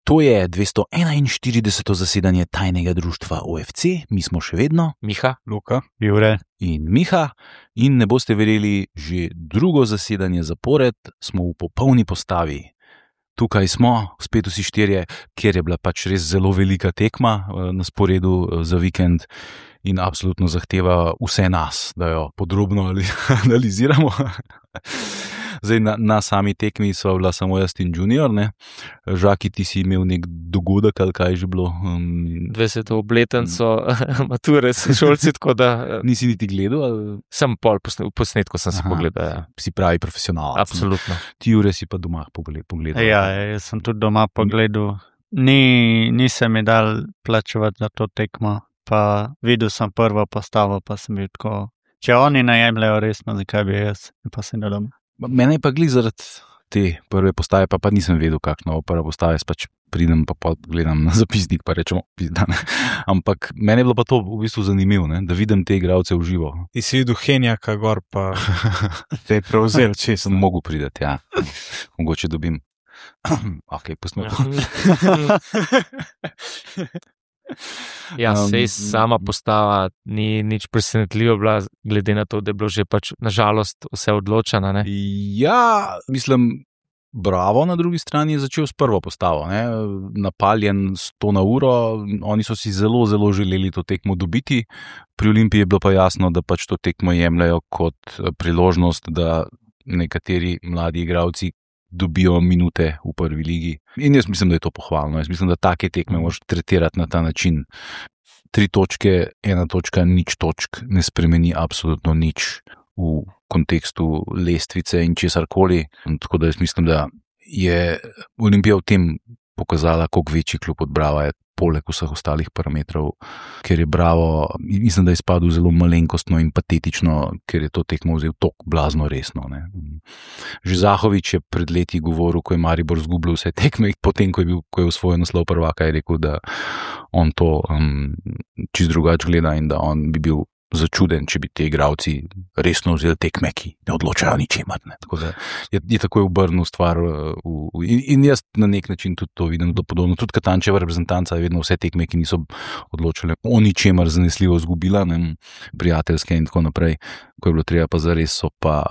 To je 241. zasedanje tajnega društva OFC, mi smo še vedno Miha, Luka, Jure in Miha in ne boste verjeli, že drugo zasedanje zapored smo v popolni postavi. Tukaj smo, spet vsi štirje, kjer je bila pač res zelo velika tekma na sporedu za vikend in absolutno zahteva vse nas, da jo podrobno analiziramo. Zdaj, na sami tekmi sva bila samo jaz in Junior, ne? Žaki, ti si imel nek dogodek, ali kaj že bilo? 20. obletnico mature s šolci, tako da... Nisi niti gledal? Ali? Sem pol posnetko sem si pogledal, ja. Si pravi profesionalc. Absolutno. Ti, Jure, si pa doma pogledal. Ja, jaz sem tudi doma pogledal. Nisem mi dal plačevati za to tekmo, pa videl sem prvo postavo, pa sem bil tako, če oni ne jemljajo resno, zakaj bi jaz, pa sem da doma. Mene je pa glih zaradi te prve postave, pa nisem vedel, kakšna bo prva postava, jaz pač pridem pa gledam na zapisnik, pa rečemo, pizdane. Ampak meni je bilo pa to v bistvu zanimivo, ne? Da vidim te igralce v živo. Ti si videl Henjaka gor, pa te je prevzel, če sem mogel priti, ja. Mogoče dobim. Ok, pustimo. Ja, sej sama postava ni nič presenetljivo bila, glede na to, da je bilo že pač nažalost vse odločeno, ne? Ja, mislim, Bravo na drugi strani je začel s prvo postavo, ne? Napaljen 100 na uro, oni so si zelo, zelo želeli to tekmo dobiti, pri Olimpiji je bilo pa jasno, da pač to tekmo jemljajo kot priložnost, da nekateri mladi igralci dobijo minute v prvi ligi. In jaz mislim, da je to pohvalno. Jaz mislim, da take tekme moraš tretirati na ta način. 3 točke, 1 točka, 0 točk ne spremeni absolutno nič v kontekstu lestvice in česarkoli. Tako da jaz mislim, da je Olimpija v tem pokazala, koliko večji klub od Brava je, poleg vseh ostalih parametrov, ker je Bravo, mislim, da je izpadel zelo malenkostno in patetično, ker je to tekmo vzel toliko blazno resno. Ne. Že Zahovič je pred leti govoril, ko je Maribor zgubljal vse tekme, potem, ko je osvojil naslov prvaka, je rekel, da on to čisto drugače gleda in da on bi bil začuden, če bi te igralci resno vzeli tekme, ki ne odločajo ničemer. Tako da je takoj obrnil stvar in jaz na nek način tudi to vidim podobno. Tudi Katančeva reprezentanca je vedno vse tekme, ki niso odločale o ničemer zanesljivo zgubila, ne, prijateljske in tako naprej. Ko je bilo treba pa zares, so pa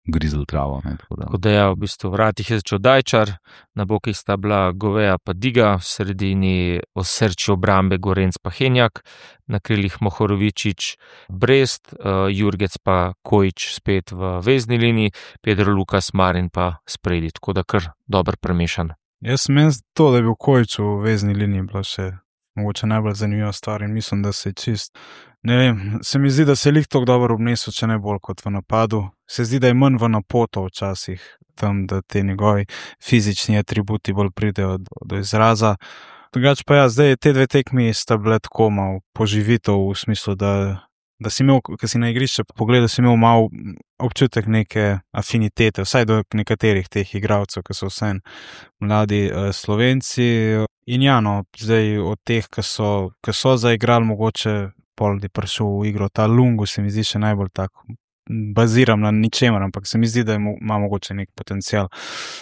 grizli travo. Ne, tako da ja, v bistvu vratih je začel Dajčar, na bokih sta bila Goveja pa Diga, v sredini osrči obrambe Gorenc pa Henjak, na krilih Mohorovičič, Brest, Jurgec pa Kojič spet v vezni liniji, Pedro Lukas, Marin pa spredi, tako da kar dober premešan. Jaz menim to, da je bil Kojič v vezni liniji, bila še mogoče najbolj zanimiva stvar in mislim, da se je čist, ne vem, se mi zdi, da se je lih tako dobro obnesel, če ne bolj kot v napadu. Se zdi, da je manj v napoto včasih tam, da te njegovi fizični atributi bolj pridejo do izraza. Drugače pa ja, zdaj te 2 tekmi sta bile tako malo poživitev v smislu, da si imel, ko si na igrišče pogledal, si imel malo občutek neke afinitete, vsaj do nekaterih teh igralcev, ki so vsem mladi Slovenci. In ja, no, zdaj od teh, ki so zaigrali, mogoče pol je prišel v igro ta Lungu, se mi zdi še najbolj tako, baziram na ničemer, ampak se mi zdi, da ima mogoče nek potencial.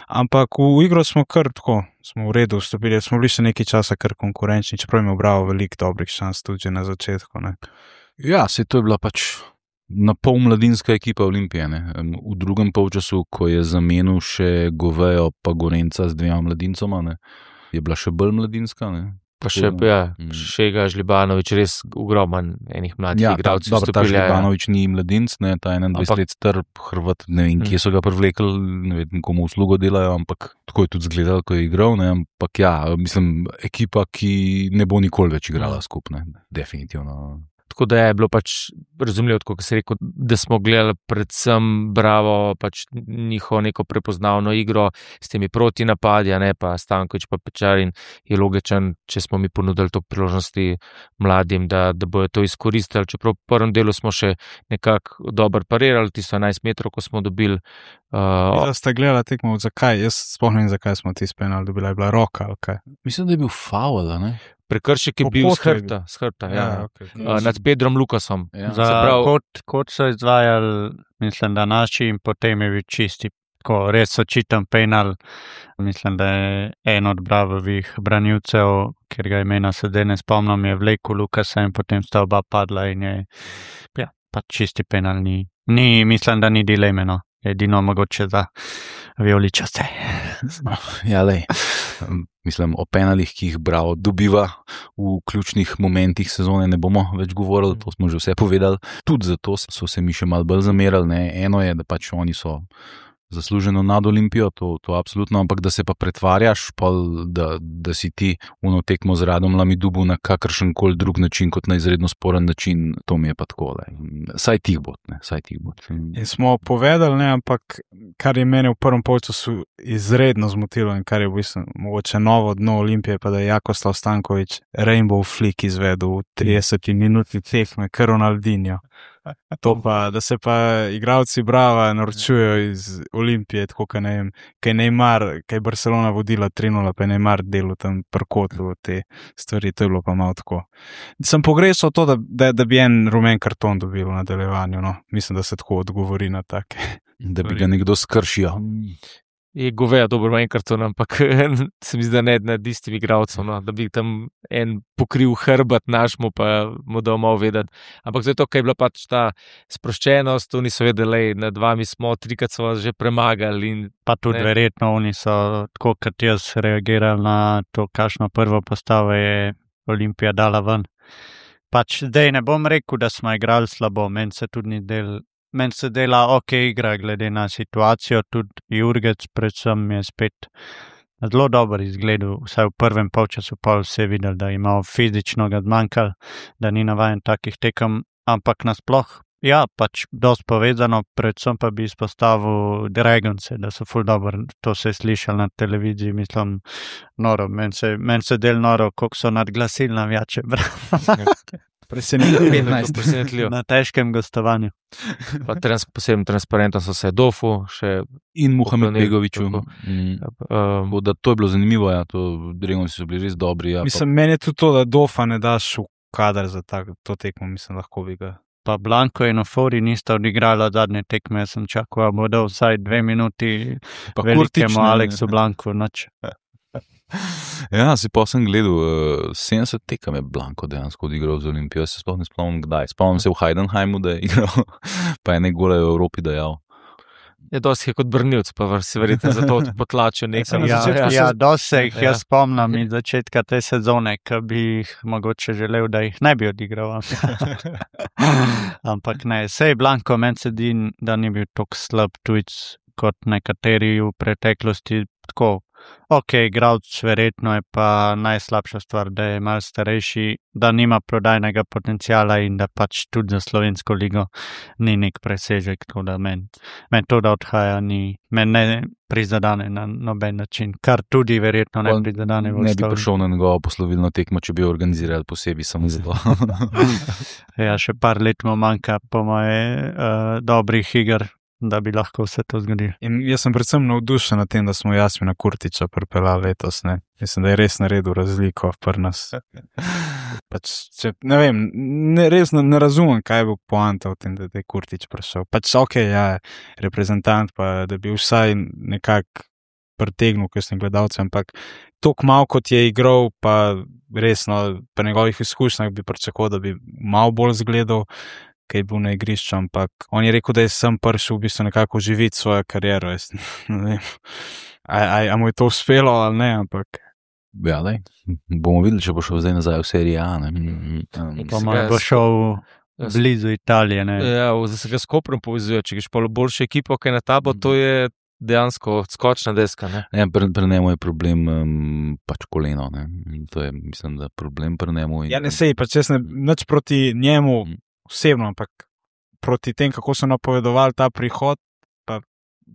Ampak v igro smo kar tako, smo v redu vstopili, smo bili še nekaj časa kar konkurenčni, čeprav je Bravo veliko dobrih šans tudi že na začetku, ne. Ja, se to je bila pač na pol mladinska ekipa Olimpije, ne. V drugem polčasu, ko je zamenil še Govejo pa Gorenca z 2 mladincoma, ne, je bila še bolj mladinska, ne. Pa še, ja, Šega Žlibanović, res ogroman enih mladih igralcev. Ja, ta Žlibanović ni mladinc, ne, ta 21 let star Hrvat, ne vem, kje so ga privlekli, ne vem, komu uslugo delajo, ampak tako je tudi izgledalo, ko je igral, ne, ampak ja, mislim, ekipa, ki ne bo nikoli več igrala skupaj, definitivno. Tako da je bilo pač razumljivo, kot se rekel, da smo gledali predvsem Bravo, pač njihovo neko prepoznavno igro s temi protinapadi, ne, pa Stanković pa Pečarin je logičen, če smo mi ponudili to priložnosti mladim, da bojo to izkoristili, čeprav v prvem delu smo še nekako dobro parirali, tisto 11 metrov, ko smo dobili. Da ste gledali tekmo, zakaj? Jaz spomnim, zakaj smo ti penal dobili, je bila roka, ali kaj? Mislim, da je bil faul, ne? Prekršek je bil z hrbta, ja. Okay. Nad Pedrom Lukasom. Ja. Kot so izvajali, mislim, da naši in potem je bil čisti tako res očiten penal. Mislim, da je en od Bravovih branilcev, ker ga imena sedaj ne spomnim, je vlekel Lukasa in potem sta oba padla in je, ja, pa čisti penal ni, mislim, da ni dileme, no. Edino mogoče za vijoličaste. Ja, lej. Mislim, o penalih, ki jih Bravo dobiva v ključnih momentih sezone, ne bomo več govorili, to smo že vse povedali. Tudi zato so se mi še malo bolj zamerali, ne. Eno je, da pač oni so zasluženo nad Olimpijo, to absolutno, ampak da se pa pretvarjaš, pa da si ti uno tekmo z Radom Lamidubu na kakršen koli drug način, kot na izredno sporen način, to mi je pa takole. Saj tih bod. In smo povedali, ne, ampak kar je mene v prvem polčasu izredno zmotilo in kar je v bistvu mogoče novo dno Olimpije, pa da je Jakoslav Stanković Rainbow Flick izvedel v 30 minutni tekme, kar Ronaldinho. To pa, da se pa igralci Brava norčujejo iz Olimpije, tako kaj ne vem, kaj Neymar, kaj Barcelona vodila 3-0, pa je Neymar delal tam prkotlu te stvari, to je bilo pa malo tako. Sem pogrešal to, da bi en rumen karton dobil v nadaljevanju, no. Mislim, da se tako odgovori na take. Da bi ga nekdo skršil. Je goveja dobro enkrat, ampak se mi zdi, da ne nad istim igralcem, no, da bi tam en pokril hrbet našmu, pa mu dal malo vedeti. Ampak zato, ker je bila pač ta sproščenost, oni so vedeli, nad vami smo, 3krat so vas že premagali. In, pa tudi verjetno oni so, tako kot jaz, reagirali na to, kakšno prvo postavo je Olimpija dala ven. Pač zdaj ne bom rekel, da smo igrali slabo, meni se dela ok igra, glede na situacijo, tudi Jurgec predvsem je spet zelo dober izgledal, vsaj v prvem polčasu pa vse videl, da ima fizično ga zmanjkalo, da ni navajen takih tekem, ampak nasploh, ja, pač dosti povezano, predvsem pa bi izpostavil Dragonse, da so ful dobro, to se je slišal na televiziji, mislim, noro, meni se del noro, koliko so nadglasili navijače, Presenetljivo. Na težkem gostovanju. Pa posebno transparentno so se Dofu še in Muhamed Begoviću. Da to je bilo zanimivo, ja, Dragonsi so bili res dobri. Ja, mislim, meni je tudi to, da Dofa ne daš v kader za to tekmo, mislim, lahko bi ga. Pa Blanko in Ofori nista odigrala zadnje tekme, jaz sem čakal, bo dal vsaj 2 minuti velikemu Aleksu Blanku noč. Ja, si pa sem gledal, 70 tekem je Blanko dejansko odigral z Olimpijo, se sploh ne spomnim kdaj. Spomnim se v Heidenheimu, da je igral, pa je gole v Evropi dajal. Je dosti kot brnilc, pa se verjetno zato potlačil nekaj. Ja, dosti jih jaz spomnim iz začetka te sezone, ki bi jih mogoče želel, da jih ne bi odigral. Ampak ne, sej Blanko meni se zdi, da ni bil tako slab tujec kot nekateri v preteklosti, tako. Ok, igralec verjetno je pa najslabša stvar, da je malo starejši, da nima prodajnega potencijala in da pač tudi za slovensko ligo ni nek presežek, tako da meni to, da odhaja, meni ne prizadane na noben način, kar tudi verjetno ne prizadane. Ne bi prišel na njegovo poslovilno tekmo, če bi jo organizirali posebej samo za to. Ja, še par let mu manjka po moje dobrih iger, da bi lahko vse to zgodilo. In jaz sem predvsem navdušen na tem, da smo Jasmina Kurtića pripeljali letos, ne. Mislim, da je res naredil razliko pri nas. Pač, ne vem, res ne razumem, kaj je bil poanta v tem, da je Kurtić prišel. Pač ok, ja, reprezentant, pa da bi vsaj nekako pritegnil kakšne gledalce, ampak toliko malo kot je igral, pa resno, pri njegovih izkušnjah bi pričakoval, da bi malo bolj zgledal, kaj je bil na igrišču, ampak on je rekel, da je sem prišel v bistvu nekako živeti svojo kariero. Ne vem, a mu je to uspelo ali ne, ampak. Ja, daj, bomo videli, če bo šel zdaj nazaj v seriji A, ne. Bo šel blizu Italije, ne. Ja, zdaj se ga s Koprom povezuje, če greš pa boljšo ekipo, kaj na tabo, to je dejansko skočna deska, ne. Ja, pri njemu je problem pač koleno, ne. To je, mislim, da problem pri njemu. Ja, ne sej, pač jaz nič proti njemu osebno, ampak proti tem, kako so napovedovali ta prihod, pa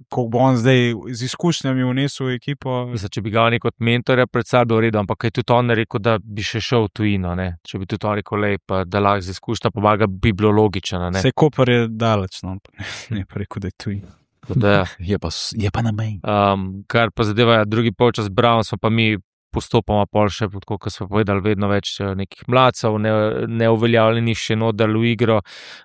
koliko bo on zdaj z izkušnjami vnesel v ekipo. Mislim, če bi ga oni kot mentorja predstavljal v redu, ampak je tudi on rekel, da bi še šel v tujino, ne. Če bi tudi on rekel, pa da lahko z izkušnja pomaga, bi bilo logično, ne. Sej Koper je daleč, no, ne pa rekel, da je tujino. Da, je pa na meji. Kar pa zadeva drugi polčas Brown, smo pa mi postopoma pol še, kot smo povedali, vedno več nekih mladcev, neuveljavljenih še nodal v igro.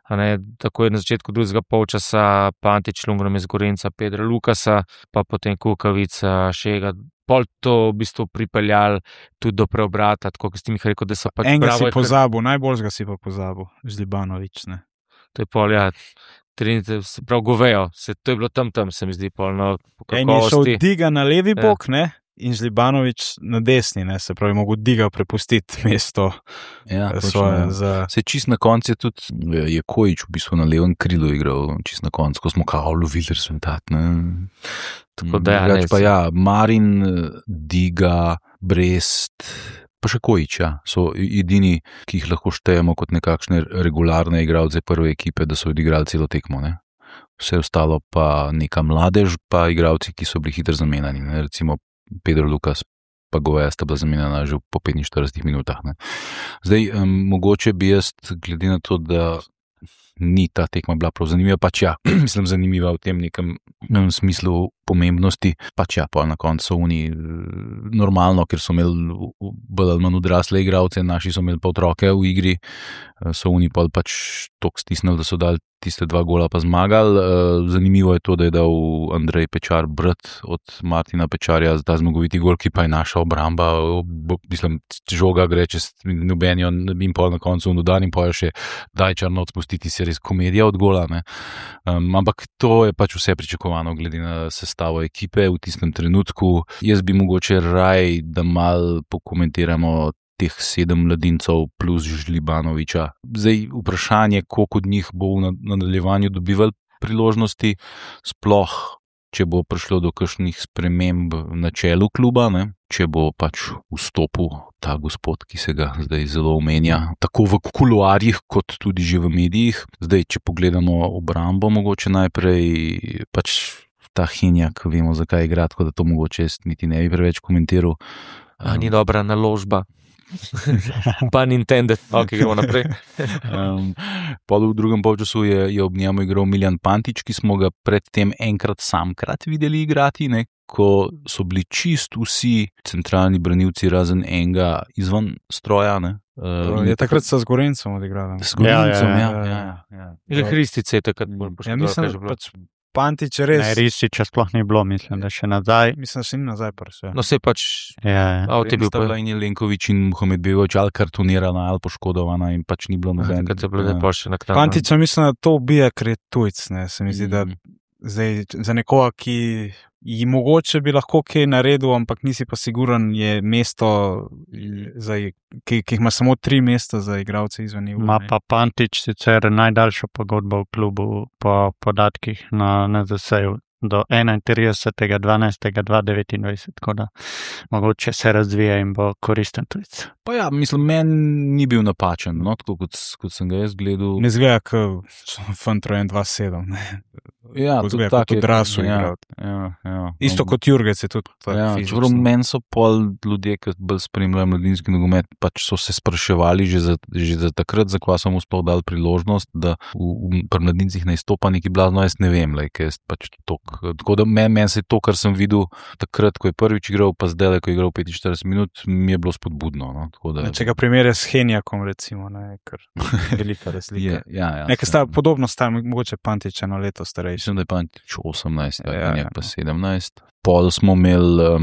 Tako je na začetku drugega polčasa Pantič, Lungrom iz Gorenca, Pedra Lukasa, pa potem Kukavica, Šega. Pol to v bistvu pripeljali tudi do preobrata, tako kot ste mi rekel, da so pač enega si pozabil, najboljšega si pa pozabil, Žlibanović, ne. To je pol, ja, se prav govejo, to je bilo tam, se mi zdi, pol, no, po En je šel kakovosti. Diga na levi bok, ne, in Žlibanović na desni, ne, se pravi, mogo Diga prepustiti mesto Ja, svoje točno, za... Se čist na koncu je tudi je Kojić v bistvu na levem krilu igral, čist na koncu, ko smo kao lovili rezultat. Ne? Tako da ja, Drugače ne, pa ja, Marin, Diga, Brest, pa še Kojić, ja, so edini, ki jih lahko štejemo kot nekakšne regularne igralce prve ekipe, da so odigrali celo tekmo. Ne? Vse ostalo pa neka mladež, pa igralci, ki so bili hitro zamenjani. Ne? Recimo Pedro Lukas pa Goveja sta bila zamenjana že po 45 minutah. Ne. Zdaj, mogoče bi jaz, glede na to, da ni ta tekma bila prav zanimiva, pač ja, mislim zanimiva v tem nekem smislu pomembnosti, pač ja, pa na koncu so oni normalno, ker so imeli bolj ali manj odrasle igralce, naši so imeli pa otroke v igri, so oni pa pač toliko stisnili, da so dali tiste 2 gola pa zmagali. Zanimivo je to, da je dal Andrej Pečar brat od Martina Pečarja ta zmagoviti gol, ki pa je naša obramba, mislim, žoga gre čez nobenjo in pol na koncu v dodan in pol še daj črno odpustiti, se res komedija od gola. Ne. Ampak to je pač vse pričakovano glede na sestavo ekipe v tistem trenutku. Jaz bi mogoče raj, da mal pokomentiramo teh 7 mladincev plus Žlibanovića. Zdaj vprašanje, koliko od njih bo v nadaljevanju dobival priložnosti, sploh, če bo prišlo do kakšnih sprememb na čelu kluba, ne? Če bo pač vstopil ta gospod, ki se ga zdaj zelo omenja, tako v kuluarjih, kot tudi že v medijih. Zdaj, če pogledamo obrambo, mogoče najprej pač ta Henjak, vemo, zakaj igra, tako da to mogoče niti ne bi preveč komentiral. Ni dobra naložba. Pa Nintendo, ok, gremo naprej. Pol v drugem polčasu je ob njemu igral Miljan Pantič, ki smo ga predtem enkrat samkrat videli igrati, ne, ko so bili čist vsi centralni branilci razen enega izven stroja. Ne. Je takrat sa z Gorencem odigrala. S Gorencem, ja. Že Hristice je takrat bolj Ja, poškodil. mislim, pač Pantič je res... Ne, Rističa sploh ni bilo, mislim, da še nazaj. Mislim, da še ni nazaj prse. No, se pač, Ja, a v tebi Sta bila in Jelenković in Mohamed Begović ali kartonirana ali poškodovana in pač ni bilo noben. takrat je bilo lepo še naknadno. Pantiča mislim, da to ubija, ker je tujc, ne, se mi zdi, da zdaj za nekoga, ki ji mogoče bi lahko kaj naredil, ampak nisi pa siguren, je mesto, ki jih ima samo 3 mesta za igralce izven EU. ima pa Pantič sicer najdaljšo pogodbo v klubu po podatkih na NZS-ju do 31.12.2029, tako da mogoče se razvija in bo koristen tujec. Pa ja, mislim, meni ni bil napačen, no, tako kot sem ga jaz gledal. Ne zgleda, kot Fantrojen 2-7, ne. Ja, Kot tudi zgleda, tak kot je, odrasel ja, igralec. ja. Isto kot Jurgec je tudi tako Ja, fizično. čeprav meni so pol ljudje, ki bolj spremljajo mladinski nogomet, pač so se spraševali že za takrat, zakaj so mu sploh dali priložnost, da pri mladincih ne izstopa neki blazno, jaz ne vem, ker je pač tako da meni se to, kar sem videl takrat, ko je prvič igral, pa zdaj, ko je igral 45 minut, mi je bilo spodbudno. No? Tako da, Če ga primerja s Henjakom, recimo, ne, ker velika razlika. ja, Nekaj sta podobno sta, mogoče Pantič eno leto starejši. Mislim, da je Pantič 18, Ja, ja, ja. pa 17. Pol smo imeli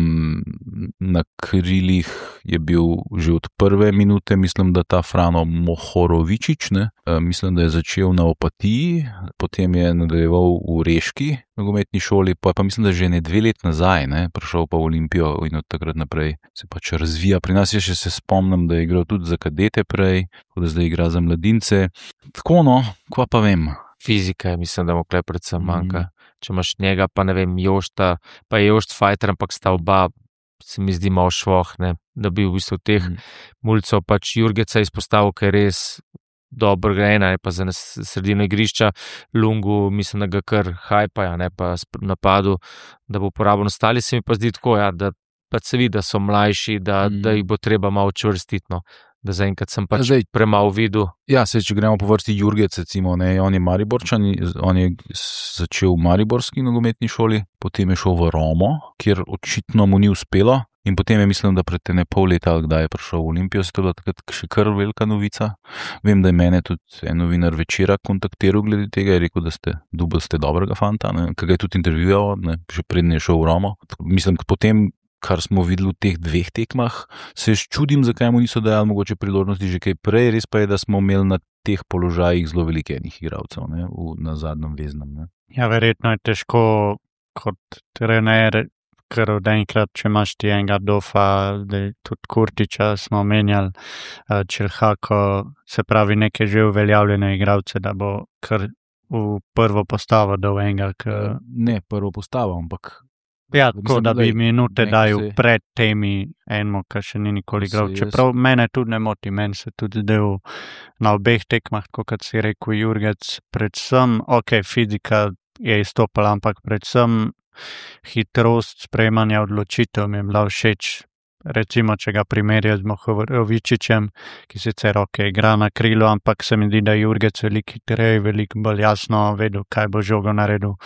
na krilih, je bil že od prve minute, mislim, da ta Frano Mohorovičić, ne? Mislim, da je začel na Opatiji, potem je nadaljeval v Reški nogometni šoli, pa mislim, da že ne 2 let nazaj, ne? Prišel pa v Olimpijo in od takrat naprej se pač razvija. Pri nas je še se spomnim, da je igral tudi za kadete prej, tako da zdaj igra za mladince. Tako no, kva pa vem. Fizika je, mislim, da mu tukaj predvsem manjka. Če imaš njega, pa ne vem, Jošta, pa je Jošt fighter, ampak sta oba, se mi zdi malo švoh, ne, da bi v bistvu teh mulcev pač Jurgeca izpostavil, ker je res dobro grejena, pa za sredino igrišča Lungu, mislim, da ga kar hajpaja, ne, pa napadu, da bo uporaben. Ostali se mi pa zdi tako, ja, da pač se vidi, da so mlajši, da jih bo treba malo čvrstiti, no. Da zaenkrat sem pač premalo videl. Ja, če gremo po vrsti Jurgec, recimo, ne, on je Mariborčan, on je začel v mariborski nogometni šoli, potem je šel v Romo, kjer očitno mu ni uspelo In potem je mislim, da pred ne pol leta, kdaj je prišel v Olimpijo, se to bila takrat še kar velika novica. Vem, da je mene tudi en novinar Večera kontaktiral glede tega, je rekel, da ste dobrega fanta, ki ga je tudi intervjuval, še prednje je šel v Romo. Mislim, potem, kar smo videli v teh 2 tekmah, se čudim, zakaj mu niso dajali mogoče priložnosti že kaj prej, res pa je, da smo imeli na teh položajih zelo veliko enih igralcev, na zadnjem veznem. Ne. Ja, verjetno je težko kot trener, ker od enkrat, če imaš ti enega Dofa, tudi Kurtiča smo menjali, Čelhako, se pravi neke že uveljavljene igralce, da bo kar v prvo postavo dal enega. Ne prvo postavo, ampak ja, tako da bi minute dajal se... pred temi enmo, ki še ni nikoli igral. Čeprav mene tudi ne moti, meni se tudi zdel na obeh tekmah, kot si rekel Jurgec, predvsem, fizika je izstopala, ampak predvsem hitrost sprejemanja odločitev mi je bila všeč. Recimo, če ga primerjam z Mohorovičičem, ki sicer igra na krilu, ampak se mi zdi, da je Jurgec veliko hitreje, veliko bolj jasno vedel, kaj bo žogo naredil,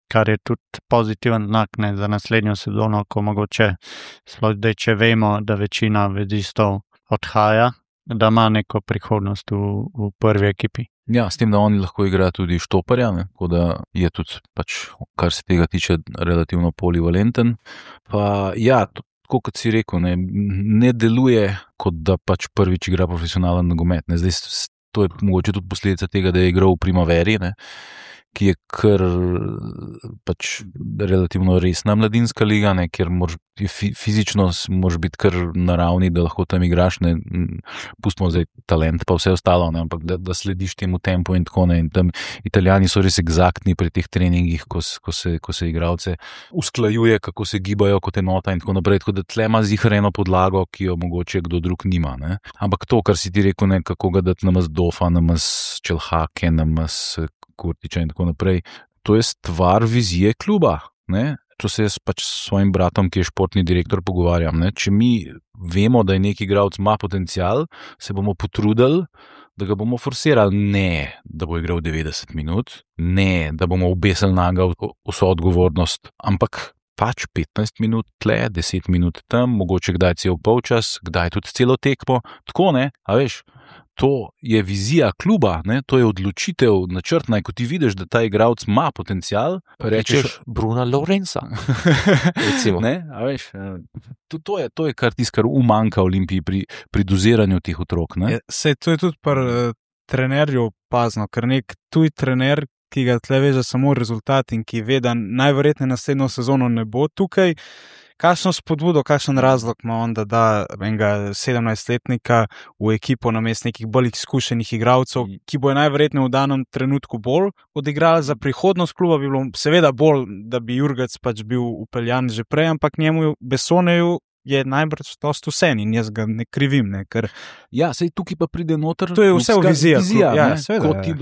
kar je tudi pozitiven znak za naslednjo sezono, ko mogoče, sploh zdaj, če vemo, da večina vezistov odhaja, da ima neko prihodnost v prvi ekipi. Ja, s tem, da oni lahko igra tudi štoparja, tako da je tudi, kar se tega tiče, relativno polivalenten. Pa ja, tako kot si rekel, ne deluje, kot da prvič igra profesionalen nogomet. Zdaj, to je mogoče tudi posledica tega, da je igral v Primaveri, ki je kar relativno resna mladinska liga, kjer fizično moraš biti kar na ravni, da lahko tam igraš, pustimo zdaj talent pa vse ostalo, ampak da slediš temu tempu in tako. In tam Italijani so res eksaktni pri teh treningih, ko se igralce usklajuje, kako se gibajo kot enota in tako naprej, tako da tle ima zihar eno podlago, ki jo mogoče kdo drug nima. Ampak to, kar si ti rekel, kako ga dati namaz Dofa, namaz Čelhake, namaz Kurtiča in tako naprej. To je stvar vizije kluba. To se jaz s svojim bratom, ki je športni direktor, pogovarjam. Če mi vemo, da je neki igralec ima potencial, se bomo potrudili, da ga bomo forsirali. Ne, da bo igral 90 minut, ne, da bomo obesili naga vso odgovornost, ampak 15 minut tle, 10 minut tam, mogoče kdaj cel polčas, kdaj tudi celo tekmo. Tako, a veš, to je vizija kluba, to je odločitev načrtna, ko ti vidiš, da ta igralec ima potencial, rečeš Bruna Lorenza. Recimo. A veš, to je kar tisto, kar umanjka Olimpiji pri doziranju teh otrok. Sej to je tudi pri trenerju opazno, ker nek tuj trener, ki ga tle veže samo rezultat in ki ve, da najverjetneje naslednjo sezono ne bo tukaj, kakšno spodbudo, kakšen razlog ima on, da da enega 17-letnika v ekipo namesto nekih bolj izkušenih igralcev, ki bo najverjetneje v danem trenutku bolj odigrali za prihodnost kluba, bi bilo seveda bolj, da bi Jurgec bil upeljan že prej, ampak njemu Bessoneju je najbrž dosti vse in jaz ga ne krivim. Ker... Ja, sej tukaj pa pride noter. To je vse vizija.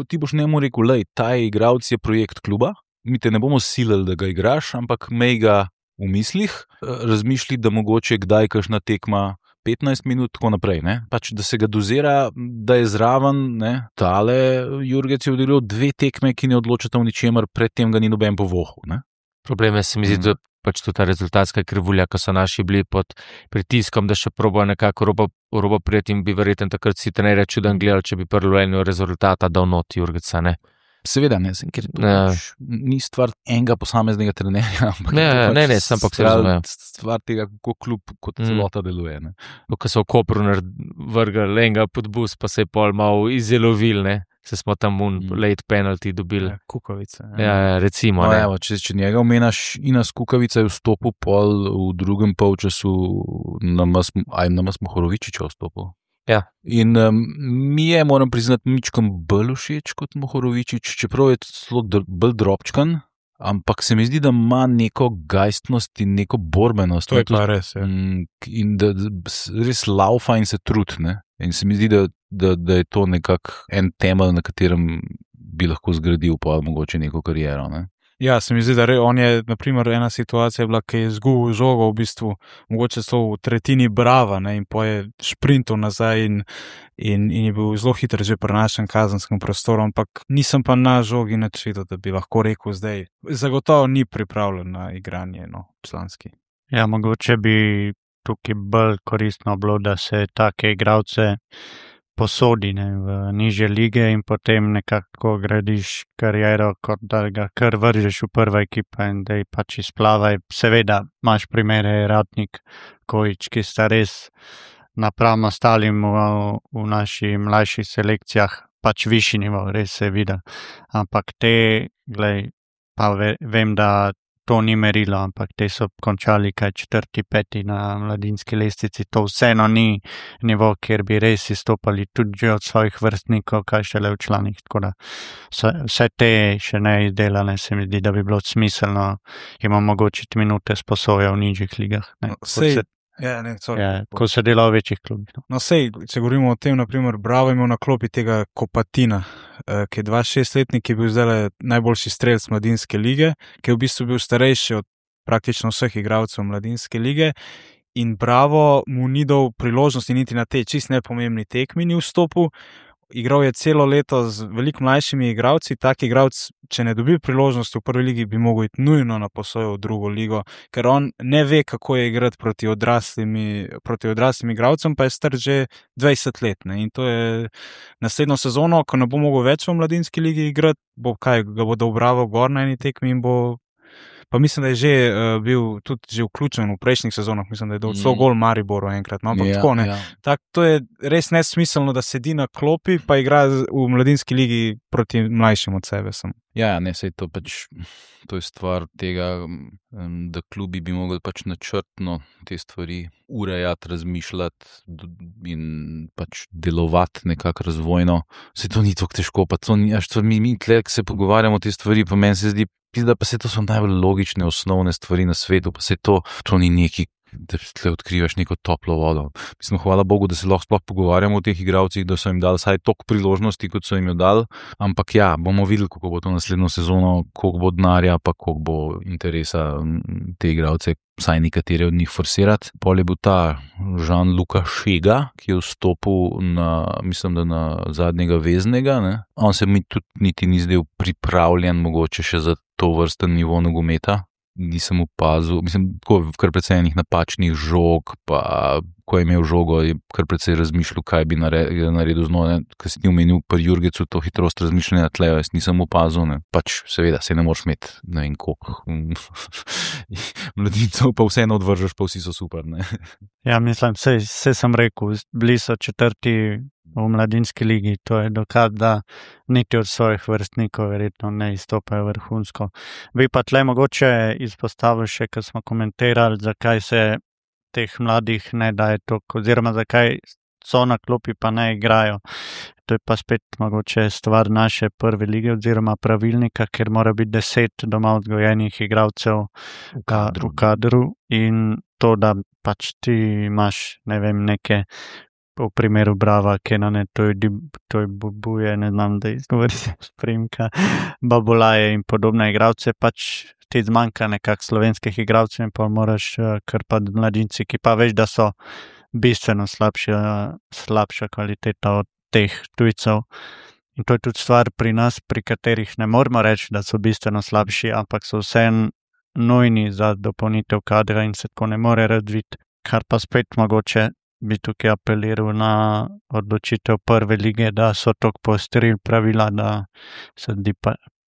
Ti boš njemu rekel, lej, ta igralec je projekt kluba, mi te ne bomo silili, da ga igraš, ampak mej ga v mislih, razmišlji, da mogoče kdaj kakšna tekma 15 minut, tako naprej, da se ga dozira, da je zraven, tale Jurgec je odigral 2 tekme, ki ne odločata v ničemer, predtem ga ni noben povohal. Problem je, se mi zdi, da tudi ta rezultatska krivulja, ko so naši bili pod pritiskom, da še probajo nekako robo prijeti in bi verjetno takrat si trenerja čuden gledali, če bi prvo eno rezultata dal not Jurgeca, Seveda ne, ker to ni stvar enega posameznega trenerja, ampak ne, ampak se razume. Stvar tega, kako klub kot celota deluje. Ko so v Kopru vrgli enega pod bus, pa se je pol malo izjelovil, se smo tam late penalty dobili. Kukavica. Ja, recimo. Če njega omenaš, Inas Kukavica je vstopil pol v drugem polčasu, nama smo Mohorovičiča vstopil. Ja. In mi je, moram priznati, mičkom bolj všeč kot Mohorovičič, čeprav je celo bolj drobčkan, ampak se mi zdi, da ima neko gajstnost in neko borbenost. To je pa res, ja. In da res laufa in se trud, In se mi zdi, da je to nekako en temelj, na katerem bi lahko zgradil pa mogoče neko kariero, Ja, se mi zdi, da on je, naprimer, ena situacija bila, ki je izgubil žogo v bistvu, mogoče so v tretjini brava, in po je šprintal nazaj in je bil zelo hiter že pri našem kazenskem prostoru, ampak nisem pa na žogi nič videl, da bi lahko rekel zdaj. Zagotovo ni pripravljen na igranje, članski. Ja, mogoče bi tukaj bolj koristno bilo, da se take igralce posodi v nižje lige in potem nekako gradiš kariero, kot da ga kar vržeš v prva ekipa in da je pač izplavaj. Seveda imaš primere Ratnik, Kojič, ki sta res napram ostalim v naših mlajših selekcijah pač višji nivo, res se je videl. Ampak te, pa vem, da to ni merilo, ampak te so končali kaj 4., 5. na mladinski lestvici. To vseeno ni nivo, kjer bi res izstopali tudi od svojih vrstnikov, kaj šele v članih. Tako da vse te še ne izdelane, se mi zdi, da bi bilo smiselno jim omogočiti minute sposoja v nižjih ligah. Ko se dela v večjih klubih. No, sej, če govorimo o tem, naprimer, Bravo imel na klopi tega Kopatina, ki je 26-letnik, ki je bil zdaj najboljši strelec mladinske lige, ki je v bistvu bil starejši od praktično vseh igralcev mladinske lige in Bravo mu ni dal priložnosti niti na tej čist nepomembni tekmi ni vstopil. Igral je celo leto z veliko mlajšimi igralci, tak igralec, če ne dobi priložnosti v prvi ligi, bi mogel iti nujno na posojo v drugo ligo, ker on ne ve, kako je igrati proti odraslim igralcem, pa je star že 20 let. Ne? In to je naslednjo sezono, ko ne bo mogel več v mladinski ligi igrati, ga bo dal Bravo gor na eni tekmi in bo. Pa mislim, da je že bil tudi že vključen v prejšnjih sezonah, mislim, da je dal celo gol Mariboru enkrat, no, ampak tako ne. Tak, to je res nesmiselno, da sedi na klopi, pa igra v mladinski ligi proti mlajšim od sebe. Sej to pač, to je stvar tega, da klubi bi mogli pač načrtno te stvari urejati, razmišljati in pač delovati nekako razvojno. Sej to ni tako težko, pa to ni, mi tle, se pogovarjamo te stvari, pa meni se zdi, da pa se to so najbolj logične, osnovne stvari na svetu, pa se to ni neki, da tle odkrivaš neko toplo vodo. Mislim, hvala Bogu, da se lahko sploh pogovarjamo o teh igralcih, da so jim dali vsaj toliko priložnosti, kot so jim jo dali, ampak bomo videli, kako bo to naslednjo sezono, koliko bo denarja, pa koliko bo interesa te igralce, vsaj nekatere od njih forsirati. Pol je bil ta Jean-Luca Šega, ki je vstopil mislim, da na zadnjega veznega, ne? On se mi tudi niti ni zdel pripravljen mogoče še za to vrsten nivo nogometa. Nisem opazil, mislim, kar precej enih napačnih žog, pa ko je imel žogo, je kar precej razmišljal, kaj bi naredil z njo, ker si ti omenil pri Jurgecu to hitrost razmišljanja tlejo, jaz nisem opazil, ne. Pač seveda, se ne moreš imeti, ne vem koliko mladincev, pa vseeno odvržeš, pa vsi so super, ne. Ja, mislim, vse sem rekel, bili so 4. v mladinski ligi, to je dokaz, da niti od svojih vrstnikov verjetno ne izstopajo vrhunsko. Bi pa tle mogoče izpostavil še, ko smo komentirali, zakaj se teh mladih ne daje toliko, oziroma zakaj so na klopi pa ne igrajo. To je pa spet mogoče stvar naše prve lige oziroma pravilnika, ker mora biti 10 doma vzgojenih igralcev v kadru in to, da pač ti imaš, ne vem, neke v primeru Brava, Kenane, to je Bubuje, ne znam, da izgovorite spremka, Babolaje in podobne igralce, pač ti zmanjka nekak slovenskih igralcev in pa moraš krpati mladinci, ki pa veš, da so bistveno slabša kvaliteta od teh tujcev. In to je tudi stvar pri nas, pri katerih ne moramo reči, da so bistveno slabši, ampak so vseeno nujni za dopolnitev kadra in se tako ne more razviti, kar pa spet mogoče bi tukaj apeliral na odločitev prve lige, da so toliko poostrili pravila, da se zdi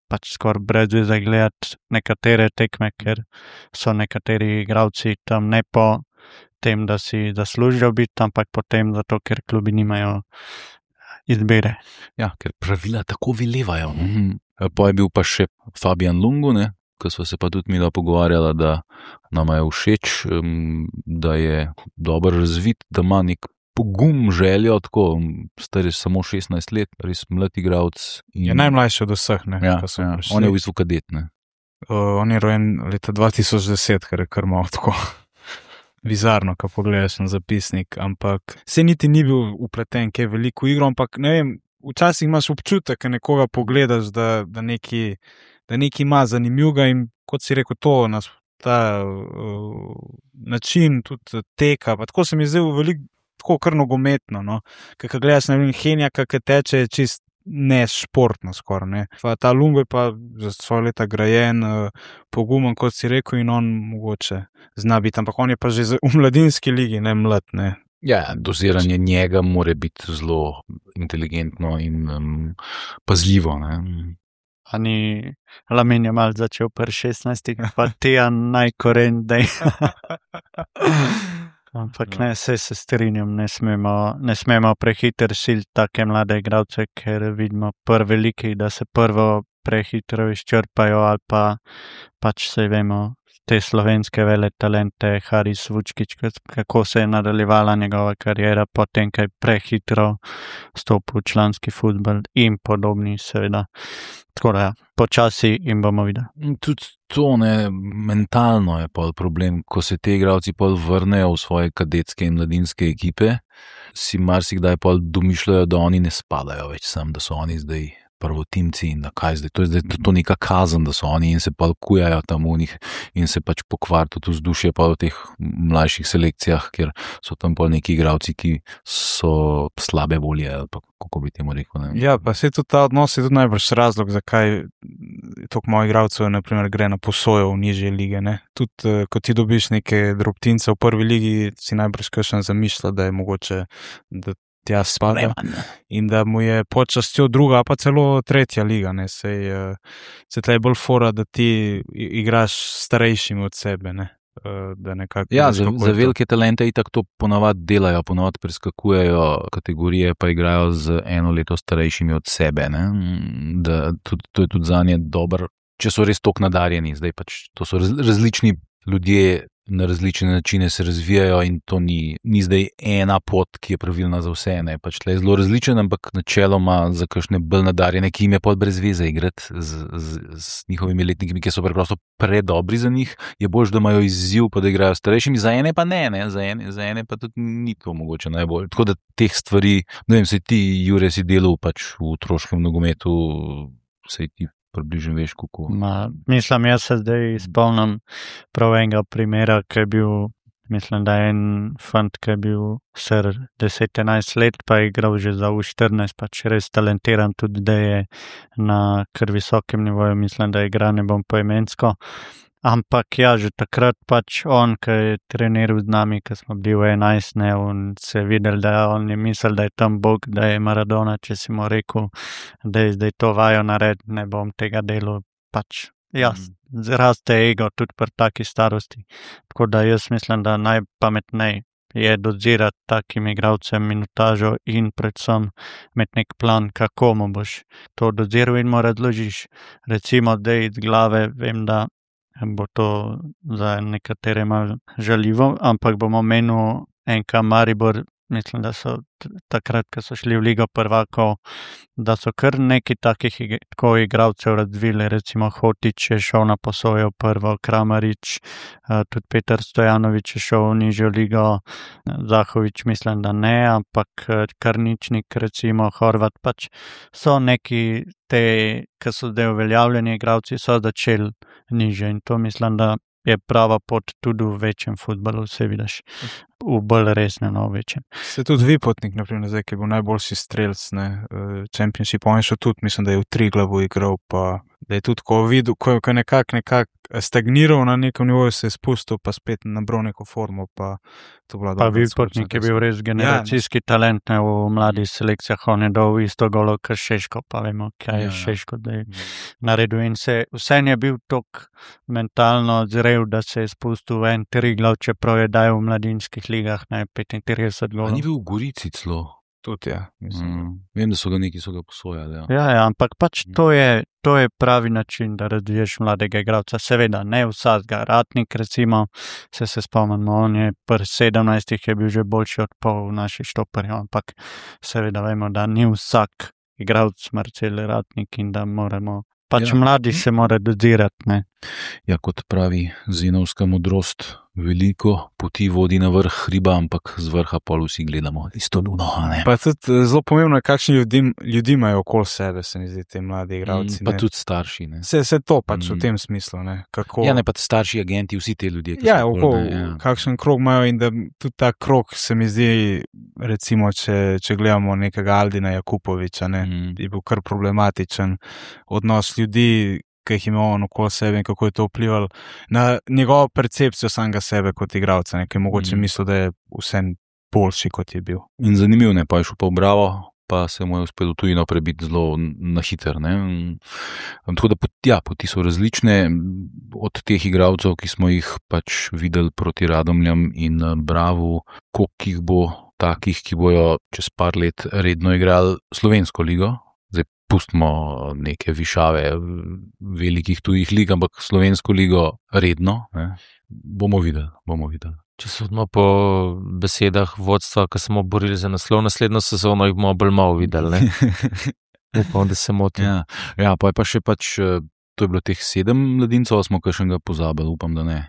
pač skoraj brez veze gledati nekatere tekme, ker so nekateri igralci tam ne po tem, da si zaslužijo biti, ampak potem zato, ker klubi nimajo izbire. Ja, ker pravila tako velevajo. Pa je bil pa še Fabian Lungu, ne? Ko smo se pa tudi mi pogovarjala, da nama je všeč, da je dobro razvit, da ima nek pogum, željo, tako, star je samo 16 let, res mlad igralec. Je najmlajši od vseh, ne? Ja, on je v bistvu kadet, ne? On je rojen leta 2010, kar je kar malo tako bizarno, ko pogledaš na zapisnik, ampak se niti ni bil upleten, kaj veliko igro, ampak ne vem, včasih imaš občutek, ko nekoga pogledaš, da nekaj ima zanimivega in kot si rekel, ta način tudi teka, pa tako se mi zdaj veliko tako kar nogometno, no. Ko gledaš, ne vem, Henjaka, ki teče čist ne športno skoraj, ne. Pa ta Lungo je pa za svoje leta grajen, pogumen, kot si rekel, in on mogoče zna biti, ampak on je pa že v mladinski ligi, ne mlad, ne. Ja, doziranje njega mora biti zelo inteligentno in pazljivo, ne. Ani Lamin je mal začel pri 16, pa Tijan najkoren, dej. Ampak ne, se strinjam, ne smemo prehiter siliti take mlade igralce, ker vidimo prve veliki, da se prvo prehitro izčrpajo ali pa pač se vemo, te slovenske vele talente, Haris Vučkič, kako se je nadaljevala njegova karijera, potem kaj prehitro stopil v članski futbol in podobni seveda. Tako da, počasi in bomo videli. Tudi to, ne, mentalno je pol problem, ko se te igralci pol vrnejo v svoje kadetske in mladinske ekipe, si marsikdaj pol domišljajo, da oni ne spadajo več sem, da so oni zdaj prvotimci in da kaj zdaj, to je zdaj to neka kazen, da so oni in se pa kujajo tam v njih in se pač pokvari tudi vzdušje pa v teh mlajših selekcijah, kjer so tam pol neki igralci, ki so slabe volje, ali pa kako bi temu rekel. Ne? Ja, pa se tudi ta odnos je tudi najbrž razlog, zakaj toliko mojih igralcev naprimer gre na posojo v nižje lige, ne. Tudi, ko ti dobiš neke drobtince v prvi ligi, si najbrž kakšen zamišlja, da je mogoče, da tja spada in da mu je počastjo druga, pa celo tretja liga, ne, se tle je bolj fora, da ti igraš starejšimi od sebe, ne, da nekako... Ja, za velike talente itak to ponavad delajo, ponavad preskakujejo kategorije, pa igrajo z eno leto starejšimi od sebe, ne, da tudi, to je tudi zanje dobro, če so res toliko nadarjeni, zdaj pač to so različni ljudje, na različne načine se razvijajo in to ni zdaj ena pot, ki je pravilna za vse, ne, pač tle je zelo različen, ampak načeloma za kakšne bolj nadarjene, ki jim je pod brez veze igrati z njihovimi letnikami, ki so preprosto predobri za njih, je boljš, da imajo izziv, pa da igrajo starejšimi, za ene pa ne, za ene pa tudi ni to mogoče najbolj. Tako da teh stvari, ne vem, saj ti, Jure, si delal pač v otroškem nogometu, saj ti približno veš, kako. Mislim, jaz se zdaj spomnim prav enega primera, ki je bil, mislim, da je en fant, ki je bil star 10-11 let, pa je igral že za U14, pač res talentiran, tudi da je na kar visokem nivoju, mislim, da igra, ne bom poimensko. Ampak ja, že takrat pač on, ki je treniral z nami, ki smo bili v 11, ne, on se je videl, da on je mislil, da je tam Bog, da je Maradona, če si mu rekel, da je zdaj to vajo nared, ne bom tega delal, pač raste ego tudi pri taki starosti. Tako da jaz mislim, da najpametnej je dozirati takim igralcem minutažo in predvsem imeti nek plan, kako mu boš to doziral in mu razložiš. Recimo, da iz glave vem, da bo to za nekatere malo žaljivo, ampak bomo menil NK Maribor, mislim, da so takrat, ko so šli v Ligo prvakov, da so kar neki takih tako igralcev razvili, recimo Hotič je šel na posojo prvo, Kramarič, tudi Petar Stojanovič je šel v nižjo ligo, Zahovič mislim, da ne, ampak Karničnik, recimo Horvat, pač so neki te, ki so zdaj uveljavljeni igralci, so začeli nižje in to mislim, da je prava pot tudi v večjem futbalu, vse vidiš, v bolj resnem, v večjem. Se tudi Vipotnik, naprimer, zdaj, ki je bil najboljši strelc, ne, Championship, on je šel tudi, mislim, da je v Triglavu igral, pa da je tudi, ko videl, ko je nekako stagniral na nekem nivoju, se je spustil, pa spet nabral neko formo, pa to bila dobra. Pa Vipotnik je bil res generacijski talent, ne, v mladih selekcijah, on je dal isto golo, kot Šeško, pa vemo, kaj je Šeško, da je naredil in vse je bil tok mentalno zrel, da se je spustil v en Triglav, čeprav je dal v mladinskih ligah, ne, 35 golov. A ni bil v Gorici celo? Tudi, ja. Vem, da so ga posojali. Ja, ampak pač to je pravi način, da razviješ mladega igralca. Seveda, ne vsakega. Ratnik, recimo, se spomnimo, on je pri 17 je bil že boljši od pol naših štoperjev, ampak seveda vemo, da ni vsak igralec Marcel Ratnik in da moramo, pač mladi se mora dozirati, ne. Ja, kot pravi Zenovska modrost, veliko poti vodi na vrh hriba, ampak z vrha pol vsi gledamo isto luno, ne. Pa tudi zelo pomembno je, kakšni ljudi imajo okoli sebe, se mi zdi, te mladi igralci. Pa tudi starši, ne. Se to pač v tem smislu, ne. Kako... Ja, ne pa starši agenti, vsi te ljudje. Ja, kakšen krog imajo in da tudi ta krog se mi zdi recimo, če gledamo nekega Aldina Jakupoviča, je bil kar problematičen odnos ljudi, ki jih ima on okoli sebe in kako je to vplivalo na njegovo percepcijo samega sebe kot igralca, ki je mogoče mislil, da je vse boljši, kot je bil. In zanimiv, pa je šel pa v Bravo, pa se mu je uspelo tujino prebiti zelo na hiter. Tako da poti so različne od teh igralcev, ki smo jih pač videli proti Radomljam in Bravu, koliko jih bo takih, ki bojo čez par let redno igrali slovensko ligo. Zdaj pustimo neke višave velikih tujih lig, ampak slovensko ligo redno, bomo videli. Če sodimo po besedah vodstva, ki smo borili za naslov naslednjo sezono, jih bomo bolj malo videli. Upam, da se motim. Ja, pa je pa še to je bilo teh 7 mladincev, smo kakšnega pozabili, upam, da ne.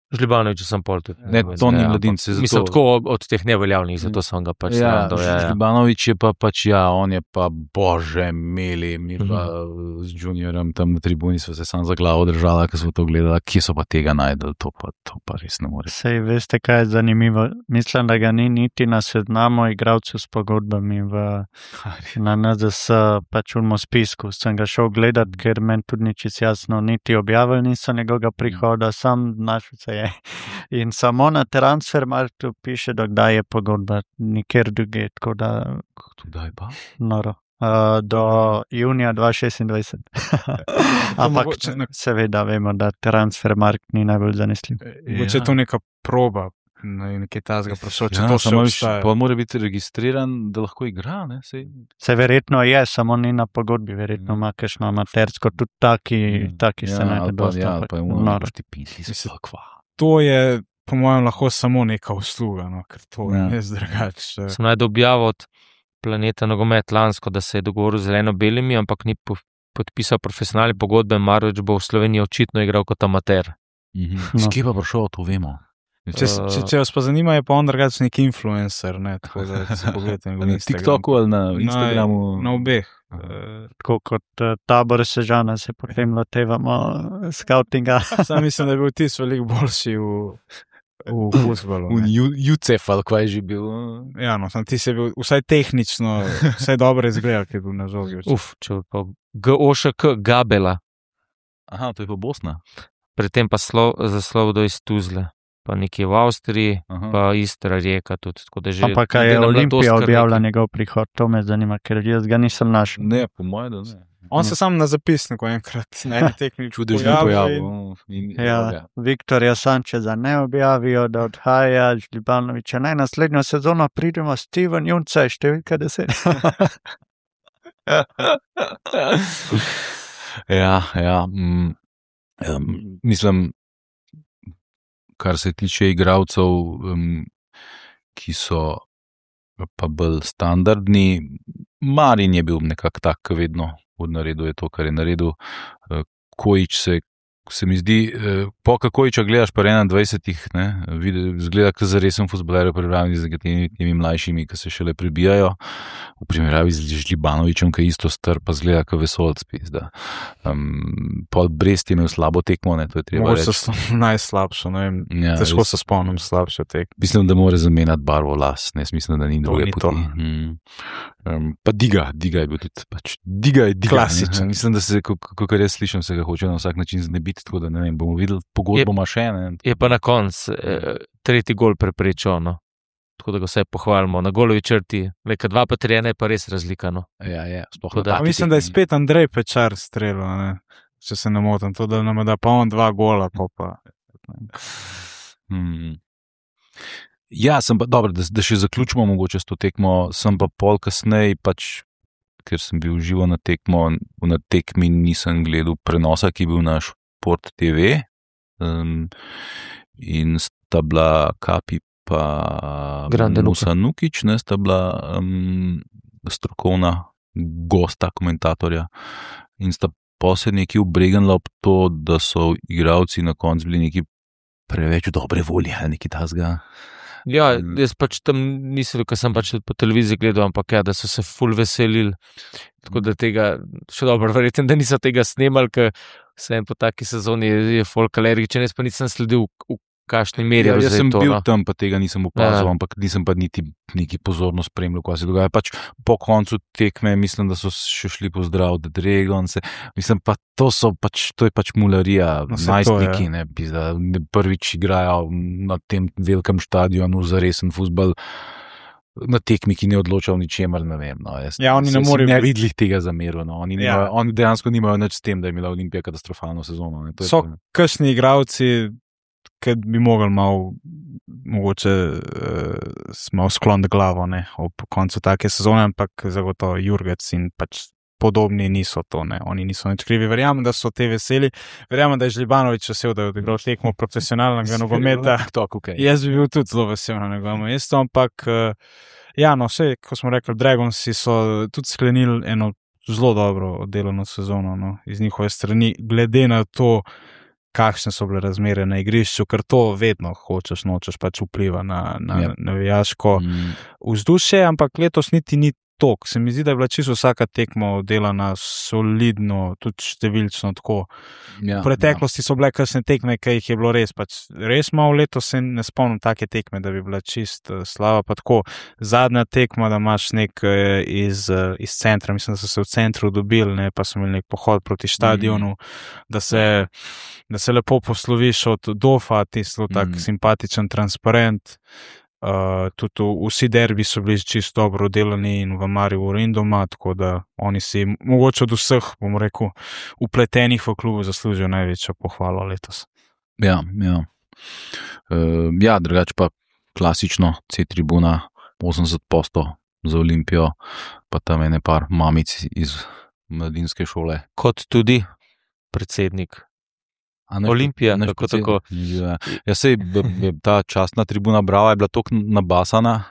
Žlibanovič sem pol tudi. Ne, to ni mladince. Mislim, tako od teh neveljavnih, zato sem ga pač srandal. Žlibanovič je pa pač, on je pa bože meli, mi pa z juniorem tam na tribuni so se sam za glavo držala, ko smo to gledali, kje so pa tega najdeli, to pa res ne more. Sej, veste, kaj je zanimivo? Mislim, da ga ni niti na seznamu igralcev s pogodbami na NZS, pač v spisku. Sem ga šel gledat, ker meni tudi ni čisto jasno, niti objavili niso njegovega prihoda, sam našel se je. In samo na Transfermarktu piše, da kdaj je pogodba, nikjer druge, tako da... Kdaj pa? Noro. Do junija 2026. Ampak seveda vemo, da Transfermarkt ni najbolj zanesljiv. Če je to neka proba, nekaj tazga prosil, če to še obstaja. Pa mora biti registriran, da lahko igra, ne? Se verjetno je, samo ni na pogodbi, verjetno ima kakšno amatersko, tudi taki se najde dosti. Ja, pa je možno štipiti, To je, po mojem, lahko samo neka usluga, ker to je drugače. Sem najdel objavo od Planeta nogomet lansko, da se je dogovoril z zeleno-belimi, ampak ni podpisal profesionalne pogodbe, Marovič bo v Sloveniji očitno igral kot amater. S kje pa prišel, to vemo. Če vas pa zanima, je pa on drugače nek influencer, tako da se pogledajte na Instagramu. TikToku ali na Instagramu? Na obeh. Tako kot Tabor Sežana se potem lotevamo skautinga. Sam mislim, da je bil tis veliko boljši v fuzbalu. V Jucef ali kaj je že bil. Ja, sam tis je bil vsaj tehnično, vsaj dobro izgledal, ki je bil na žogi. Če pa GOŠK Gabela. Aha, to je pa Bosna. Predtem pa zaslov do iz Tuzle. Pa nekje v Avstriji, pa Istra Rijeka tudi. Ampak kaj je Olimpija objavila njegov prihod, to me zanima, ker jaz ga nisem našel. Ne, po mojem, da ne. On se sam na zapisniku enkrat na eni tekmi pojavil. Viktorja Sančeza ne objavijo, da odhaja Žlibanoviča. Naj naslednjo sezono pridemo Steven Junce, številka 10. Mislim, kar se tiče igralcev, ki so pa bolj standardni, Marin je bil nekako tak, vedno naredil je to, kar je naredil. Kojič se mi zdi, Kojiča gledaš pa 21, zgleda, kot za resen fuzbaler, pripravljeni z temi mlajšimi, ki se šele prebijajo, v primerjavi z Žlibanovičem, ki je isto star, pa zgleda, kot vesolc. Pol Brest je imel slabo tekmo, to je treba reči. Mogoče najslabšo, težko se spomnim slabšo tekmo. Mislim, da mora zamenjati barvo las, mislim, da ni druge poti. Pa Diga je bil tudi, Diga je klasičen. Mislim, da se, kakor jaz slišam, se ga hoče na vsak način znebiti, tako da ne vem, bomo videli, pogodbo ima še. Je pa na koncu tretji gol preprečil, tako da ga vse pohvalimo. Na golovi črti, leka 2 pa 3, je pa res razlika. Mislim, da je spet Andrej Pečar streljal, če se ne motim, to da nam da pa on 2 gola. Ja, sem pa, dobro, da še zaključimo mogoče s to tekmo, sem pa pol kasneje, ker sem bil živo na tekmi, nisem gledal prenosa, ki je bil na Šport TV, in sta bila Kapi pa Musa Nukić, sta bila strokovna gosta, komentatorja, in sta posebej neki obregnila ob to, da so igralci na koncu bili neki preveč dobre volje, ali neki tasga. Ja, jaz pač tam nisem, ker sem pač po televiziji gledal, ampak da so se ful veselili, tako da tega, še dobro, verjetno, da niso tega snemali, ker vsem po taki sezoni je folk alergičen, jaz pa nisem sledil, v kakšni meri Ja, je jaz sem to, bil no? tam, pa tega nisem opazil, Ja. ampak nisem pa niti neki pozorno spremljal, kaj se dogaja. Pač po koncu tekme mislim, da so še šli pozdraviti Dragonse. Mislim pa, to je pač mularija, No, saj to je. najstniki, ne, pizda, prvič igrajo na tem velikem štadionu za resen fuzbal. Na tekmi, ki ne odloča o ničemer, ne vem. No, Ja, oni ne si morejo ne biti- videli tega zameru. No. Ja. Oni dejansko nimajo nič s tem, da je imela Olimpija katastrofalno sezono. Ne. To je So to, ne. kakšni igravci, ki bi mogli malo, mogoče malo skloniti glavo, ne, ob koncu take sezone, ampak zagotovo Jurgec in pač podobni niso to, ne. Oni niso nič krivi. Verjamem, da so te veseli. Verjamem, da je Žlibanović vesel, da je odigral tekmo profesionalnega nogometa. TikTok, okay. Jaz bi bil tudi zelo vesel na njegovem mestu, ampak ja, no, vse, ko smo rekli, Dragonsi so tudi sklenili eno zelo dobro oddelano sezono, no, iz njihove strani, glede na to, kakšne so bile razmere na igrišču, ker to vedno hočeš, nočeš, pač vpliva na Ja. navijaško vzdušje, ampak letos niti ni tok. Se mi zdi, da je bila čisto vsaka tekma oddelana solidno, tudi številčno tako. Ja, V preteklosti so bile kakšne tekme, ki jih je bilo res malo, letos se ne spomnim take tekme, da bi bila čist slaba. Pa tako zadnja tekma, da imaš nek iz centra, mislim, da so se v centru dobili, ne, pa so imeli nek pohod proti stadionu, da se lepo posloviš od Dofa, ti zelo tak simpatičen transparent. Tudi vsi derbi so bili čisto dobro oddelani in v Mariboru in doma, tako da oni si mogoče od vseh, bom rekel, upletenih v klubu zaslužijo največjo pohvalo letos. Ja, ja. Ja, drugače pa klasično C-tribuna, 80% za Olimpijo, pa tam ene par mamic iz mladinske šole. Kot tudi predsednik Olimpije, tako tako. Ja, sej ta častna tribuna Brava je bila tako nabasana,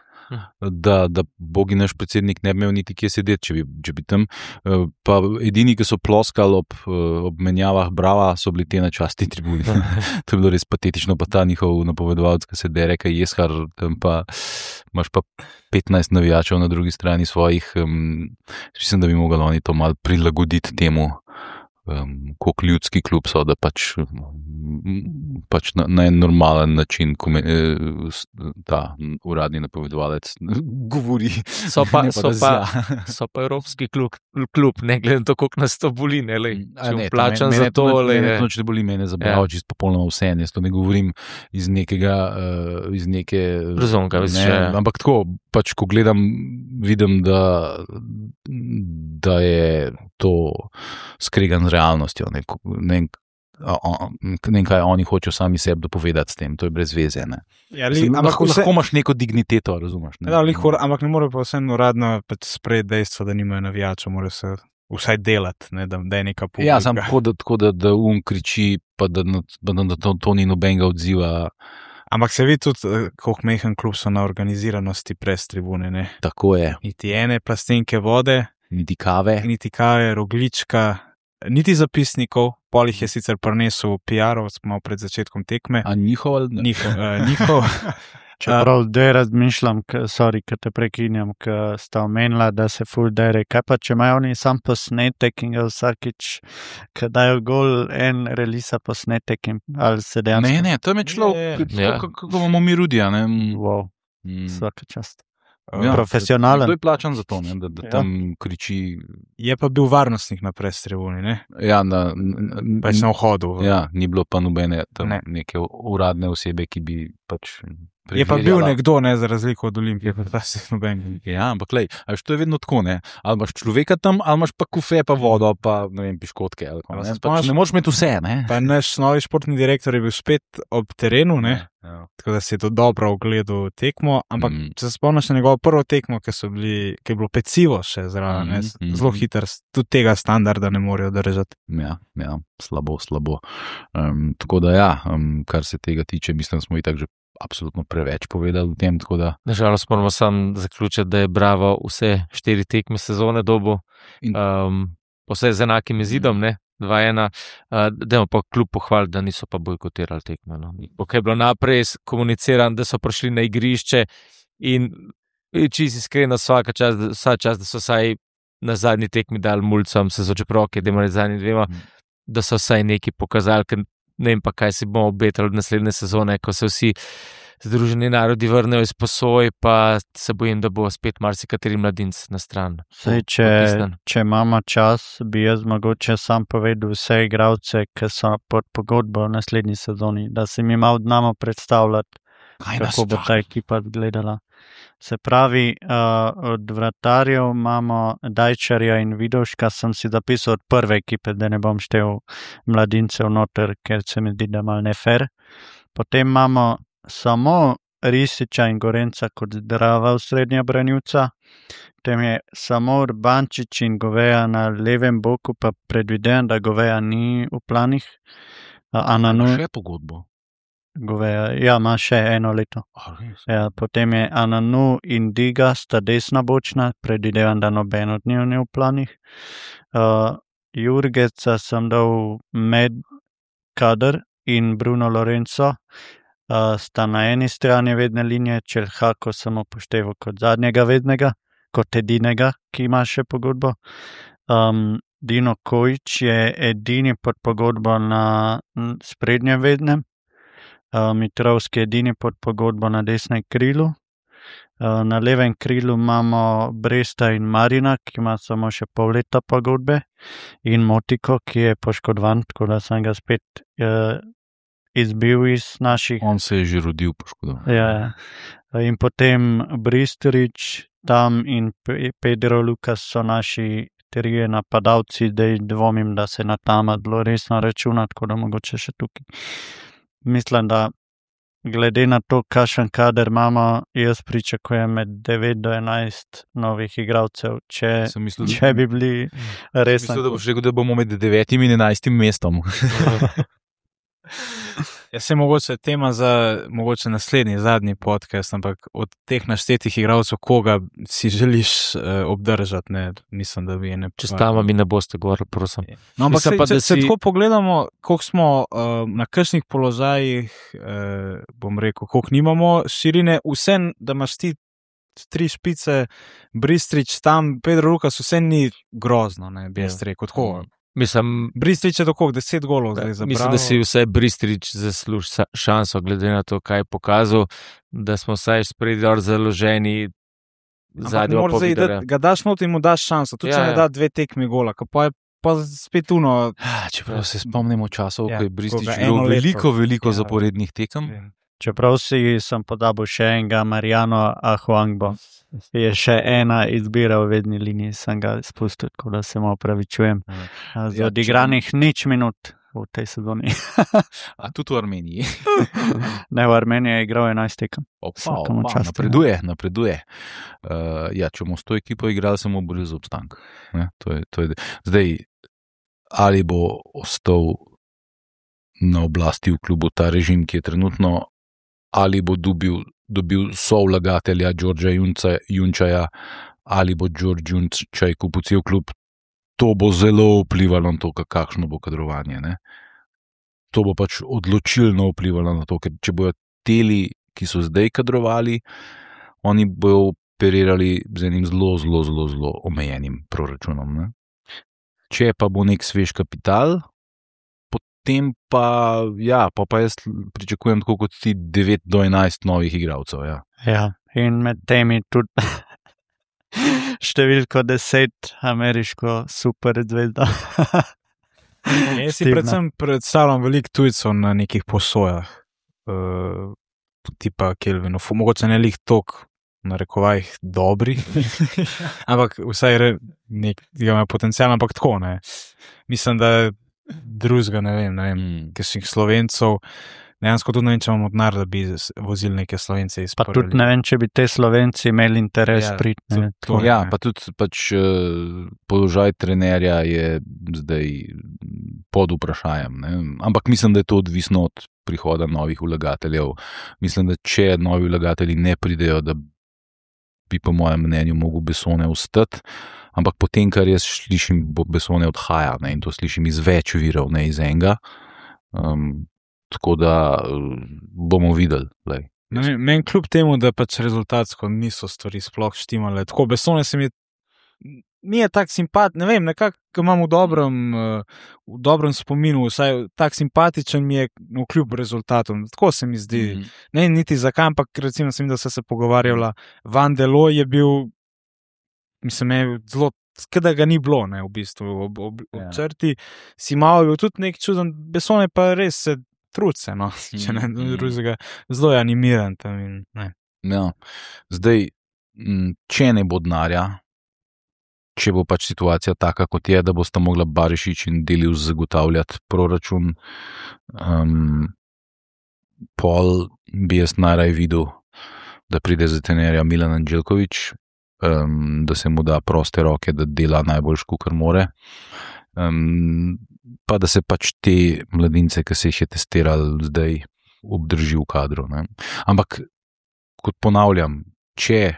da bogi naš predsednik ne bi imel niti kje sedeti, če bi tam. Pa edini, ki so ploskali ob menjavah Brava, so bili te na častni tribuni. To je bilo res patetično, pa ta njihov napovedovalec, ki se dere, kaj jeskar, tam pa imaš pa 15 navijačev na drugi strani svojih. Mislim, da bi mogli oni to malo prilagoditi temu, koliko ljudski klub so, da pač na en normalen način ta uradni napovedovalec govori. So pa evropski klub, ne glede na to, koliko nas to boli, ne, lej, če plačam za to. Mene to ne boli, mene zabravo, čisto popolnoma vse, jaz to ne govorim iz neke razumka, ampak tako, pač ko gledam, vidim, da je to skregan z realnostjo, ne vem, kaj oni hočejo sami sebi dopovedati s tem, to je brez veze. Ne. Ja, lahko imaš neko digniteto, razumeš? Ne? Ja, ampak ne more pa vseeno uradno sprejeti dejstvo, da nimajo navijačev, mora se vsaj delati, ne, da je neka publika. Ja, samo tako, da kriči, pa da to ni nobenega odziva. Ampak se vidi tudi, koliko mehen klub so na organiziranosti prez tribune. Ne? Tako je. Niti ene plastenke vode, niti kave, roglička, niti zapisnikov, pol jih je sicer prinesel PR-ov, malo pred začetkom tekme. A njihov? Njihov. Čeprav zdaj razmišljam, ker te prekinjam, ker sta omenila, da se ful dere. Kaj pa, če imajo oni sam posnetek in ga vsakič, ko dajo gol en relisa posnetek in ali se dejansko... Ne, tam je človek, kako imamo mi Rudija. Wow, vsaka čast. Ja, profesionalen. Kdo je plačan za to, ne? Da tam kriči. Je pa bil varnostnik na prestrebuni, ne? Ja, pač na vhodu. Ja, ni bilo pa nobene tam neke uradne osebe, ki bi pač preverjala. Je pa bil nekdo, ne, za razliko od Olimpije, pa da se noben. Ja, ampak lej, to je vedno tako, ne? Ali imaš človeka tam, ali imaš pa kufe, pa vodo, pa ne vem, piškotke. Pač ne moreš imeti vse, ne? Pa naš novi športni direktor je bil spet ob terenu, ne? Ja. Tako da si je to dobro ogledal tekmo, ampak če se spomniš na njegovo prvo tekmo, ki je bilo pecivo še zraven, zelo hiter, tudi tega standarda ne morejo držati. Ja, slabo. Tako da ja, kar se tega tiče, mislim, smo itak že absolutno preveč povedali v tem. Nažalost moramo sam zaključiti, da je Bravo vse 4 tekme sezone dobo, vse z enakim izidom, ne? 2-1, dajmo pa kljub pohvaliti, da niso pa bojkotirali tekme. No. Ok, je bilo naprej komuniciran, da so prišli na igrišče in čisto iskreno vsa čas, da so vsaj na zadnji tekmi dali mulcem, se zoče proke, da imajo zadnji dvema, da so vsaj nekaj pokazali, ker ne vem pa, kaj si bomo obetali od naslednje sezone, ko se vsi Združeni narodi vrnejo iz posoj, pa se bojim, da bo spet marsikateri mladinec na stran. Sej, če imamo čas, bi jaz mogoče sam povedal vse igralce, ki so pod pogodbo v naslednji sezoni, da si mi malo znamo predstavljati, kako bo ta ekipa gledala. Se pravi, od vratarjev imamo Dajčarja in Vidovška, sem si zapisal od prve ekipe, da ne bom štel mladincev noter, ker se mi zdi, da mal ne fair. Potem imamo samo Risiča in Gorenca kot zdrava osrednja branilca, potem je samo Urbančič in Goveja na levem boku, pa predvidevam, da Goveja ni v planih. Še pogodbo. Goveja, ja, ima še 1 leto. Ja, potem je Ananu in Diga sta desna bočna, predvidevam, da noben od njih ni v planih. Jurgeca sem dal med Kader in Bruno Lorenzo, sta na eni strani vedne linije, Čelhako sem upošteval kot zadnjega vednega, kot edinega, ki ima še pogodbo. Dino Kojič je edini pod pogodbo na sprednjem vednem, Mitrovski je edini pod pogodbo na desnem krilu. Na levem krilu imamo Bresta in Marina, ki ima samo še pol leta pogodbe, in Motiko, ki je poškodovan, tako da sem ga spet izbil iz naših. On se je že rodil poškodovan. Ja. In potem Bristorič, Tam in Pedro Lukas so naši trije napadalci, da dvomim, da se na Tama zelo resno računa, tako da mogoče še tukaj. Mislim, da glede na to, kakšen kader imamo, jaz pričakujem med 9 do 11 novih igralcev, če bi bili resni. Mislim, da boš rekel, da bomo med 9 in 11 mestom. Jaz se mogoče tema za mogoče naslednji, zadnji podcast, ampak od teh naštetih igralcev, koga si želiš obdržati, ne, mislim, da bi je ne. Če s Tama mi ne boste govorili, prosim. No, ampak se tako pogledamo, koliko smo na kakšnih položajih, bom rekel, koliko nimamo širine, vse, da imaš ti 3 špice, Bristrič, Tam, Pedro Lukas, vse ni grozno, ne, bi jaz rekel, tako. Mislim, Bristrič je tako 10 golov zdaj zabralo. Mislim, da si vsaj Bristrič zasluži šanso, glede na to, kaj je pokazal, da smo vsaj spredjor založeni zadnjo povedali. Ga daš not in mu daš šanso, tudi če ne da 2 tekmi gola, pa je pa spet uno. Čeprav se spomnimo časov, ko je Bristrič imel veliko zaporednih tekem. Čeprav sem podabil še enega, Mariano Ahuangbo, je še ena izbira v vedni liniji, sem ga spustil, tako da se mu opravičujem. Z odigranih nič minut v tej sezoni. A tudi v Armeniji? Ne, v Armeniji je igral 11 tekem. Napreduje. Ja, če bomo s to ekipo igrali, se bomo borili za obstanek. Zdaj, ali bo ostal na oblasti v klubu ta režim, ki je trenutno, ali bo dobil sovlagatelja Đorđa Junčaja, ali bo Đorđ Junčaj kupil cel klub, to bo zelo vplivalo na to, kakšno bo kadrovanje. Ne? To bo pač odločilno vplivalo na to, ker če bojo teli, ki so zdaj kadrovali, oni bojo operirali z enim zelo omejenim proračunom. Ne? Če pa bo nek svež kapital, potem pa, ja, pa jaz pričakujem tako kot ti 9 do 11 novih igralcev. Ja, in med temi tudi številko 10 ameriško super zvezda. Jaz si predvsem predstavljam veliko tujcev na nekih posojah, tipa Kelvinov, mogoče ne lih tok, na rekovajih dobri, ampak vsaj ima potencial, ampak tako, ne. Mislim, da drugega, ne vem, kakšnih Slovencov, dejansko tudi ne vem, če imamo denar, da bi vozili neke Slovence iz Pa tudi ne vem, če bi te Slovenci imeli interes priti. Pa tudi pač položaj trenerja je zdaj pod vprašajem, ne? Ampak mislim, da je to odvisno od prihoda novih vlagateljev. Mislim, da če novi vlagatelji ne pridejo, da bi po mojem mnenju mogel Bessone ostati, ampak potem, kar jaz slišim, Bessone odhaja, ne? In to slišim iz več virov, ne iz enega. Tako da bomo videli. Meni kljub temu, da pač rezultatsko niso stvari sploh štimale. Tako, Bessone se mi mi je tak simpatičen, ne vem, nekako ga imam v dobrem spominu, vsaj tak simpatičen mi je kljub rezultatom. Tako se mi zdi. Ne niti zakaj, ampak recimo sem, da se pogovarjala, Van der Looy je bil, mislim, je zelo, da ga ni bilo, ne, v bistvu, ob črti. Simao je bil tudi nek čuden, Besson je pa res se truce, no, če ne drugega, zelo je animiran tam in ne. Ja. Zdaj, če ne bo denarja, če bo pač situacija taka, kot je, da bosta mogla Barišić in Delius zagotavljati proračun, pol bi jaz najraj videl, da pride za trenerja Milan Anđelković, da se mu da proste roke, da dela najboljš, kakor more, pa da se pač te mladince, ki se jih je testiral zdaj, obdrži v kadru. Ne? Ampak, kot ponavljam, če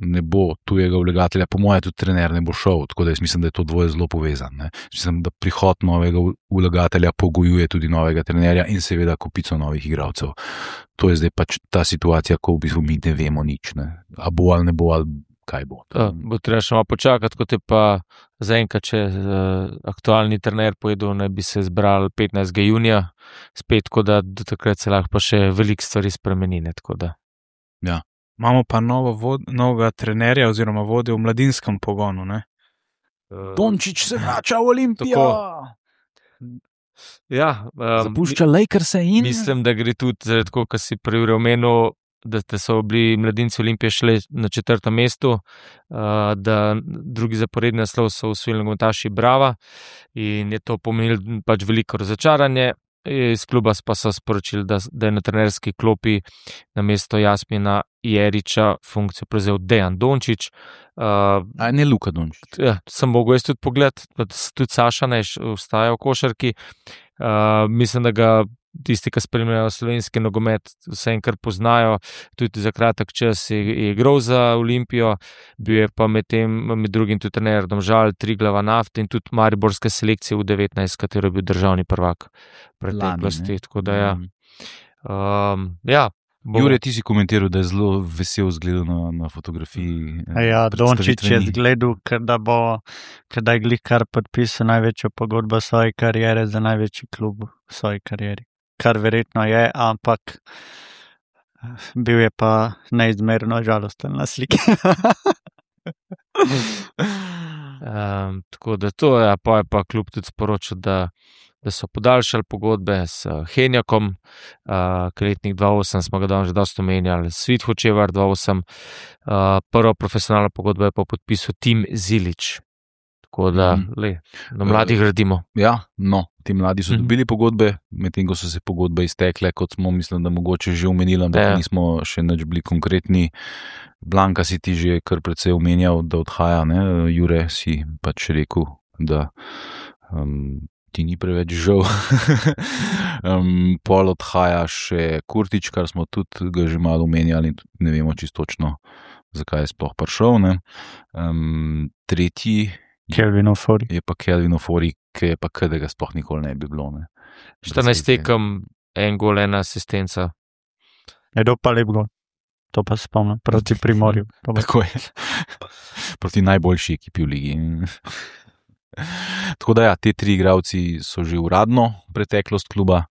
ne bo tujega vlagatelja, po moje tudi trener ne bo šel, tako da jaz mislim, da je to dvoje zelo povezan. Ne? Mislim, da prihod novega vlagatelja pogojuje tudi novega trenerja in seveda kopico novih igralcev. To je zdaj pač ta situacija, ko v bistvu mi ne vemo nič. Ne? A bo ali ne bo, ali kaj bo. Bo treba še malo počakati, kot je pa zaenkrat, če aktualni trener povedal, ne bi se zbral 15. junija, spet, tako da do takrat se lahko pa še veliko stvari spremeni. Ja. Imamo pa novega trenerja oziroma vodjo v mladinskem pogonu. Ne? Dončić se vrača v Olimpijo. Ja, zapušča Lakerse in... Mislim, da gre tudi zaradi tako, kar si prej omenil, da so bili mladinci Olimpije šli na 4. mestu, da drugi zaporedni naslov so osvojili nogometaši Brava in je to pomenilo pač veliko razočaranje. Iz kluba pa so sporočili, da je na trenerski klopi na mesto Jasmina Jeriča funkcijo prevzel Dejan Dončić. Ne Luka Dončić. Ja, sem mogel jaz tudi pogledati, tudi Saša ne vstaja v košarki. Mislim, da ga tisti, ki spremljajo slovenski nogomet, vse enkrat poznajo, tudi za kratek čas je igral za Olimpijo, bil je pa med drugim tudi trener Domžal, Triglava Nafte in tudi mariborske selekcije v 19, katero je bil državni prvak preteklosti. Tako da ja. Jure, ti si komentiral, da je zelo vesel zgledal na fotografiji. Ja, Dončić je zgledal, da je glih kar podpisal največjo pogodbo svoje kariere za največji klub v svoji karieri. Kar verjetno je, ampak bil je pa neizmerno žalosten na sliki. Tako da to je, pa je pa klub tudi sporočil, da so podaljšali pogodbe s Henjakom, letnik 2008 smo ga danes že dosti omenjali, Svit Hočevar 2008, prvo profesionalno pogodbo je pa podpisal Tim Zilić. Tako da, na mladih gradimo. Ja, no, ti mladi so dobili pogodbe, medtem ko so se pogodbe iztekle, kot smo, mislim, da mogoče že omenili, ampak nismo še nič bili konkretni. Blanka si ti že kar precej omenjal, da odhaja, ne? Jure si pač rekel, da ti ni preveč žal. Pol odhaja še Kurtić, kar smo tudi ga že malo omenjali in tudi ne vemo čisto točno, zakaj je sploh prišel. Ne? Tretji Kelvin Ofori. Je pa Kelvin Ofori, ki je pa da ga sploh nikoli ne bi bilo. Ne? 14 tekem, 1 gol, 1 asistenca. Edo pa lep gol. To pa spomnim, proti Primorju. Tako je. Proti najboljši ekipi v ligi. Tako da ja, te 3 igralci so že uradno preteklost kluba.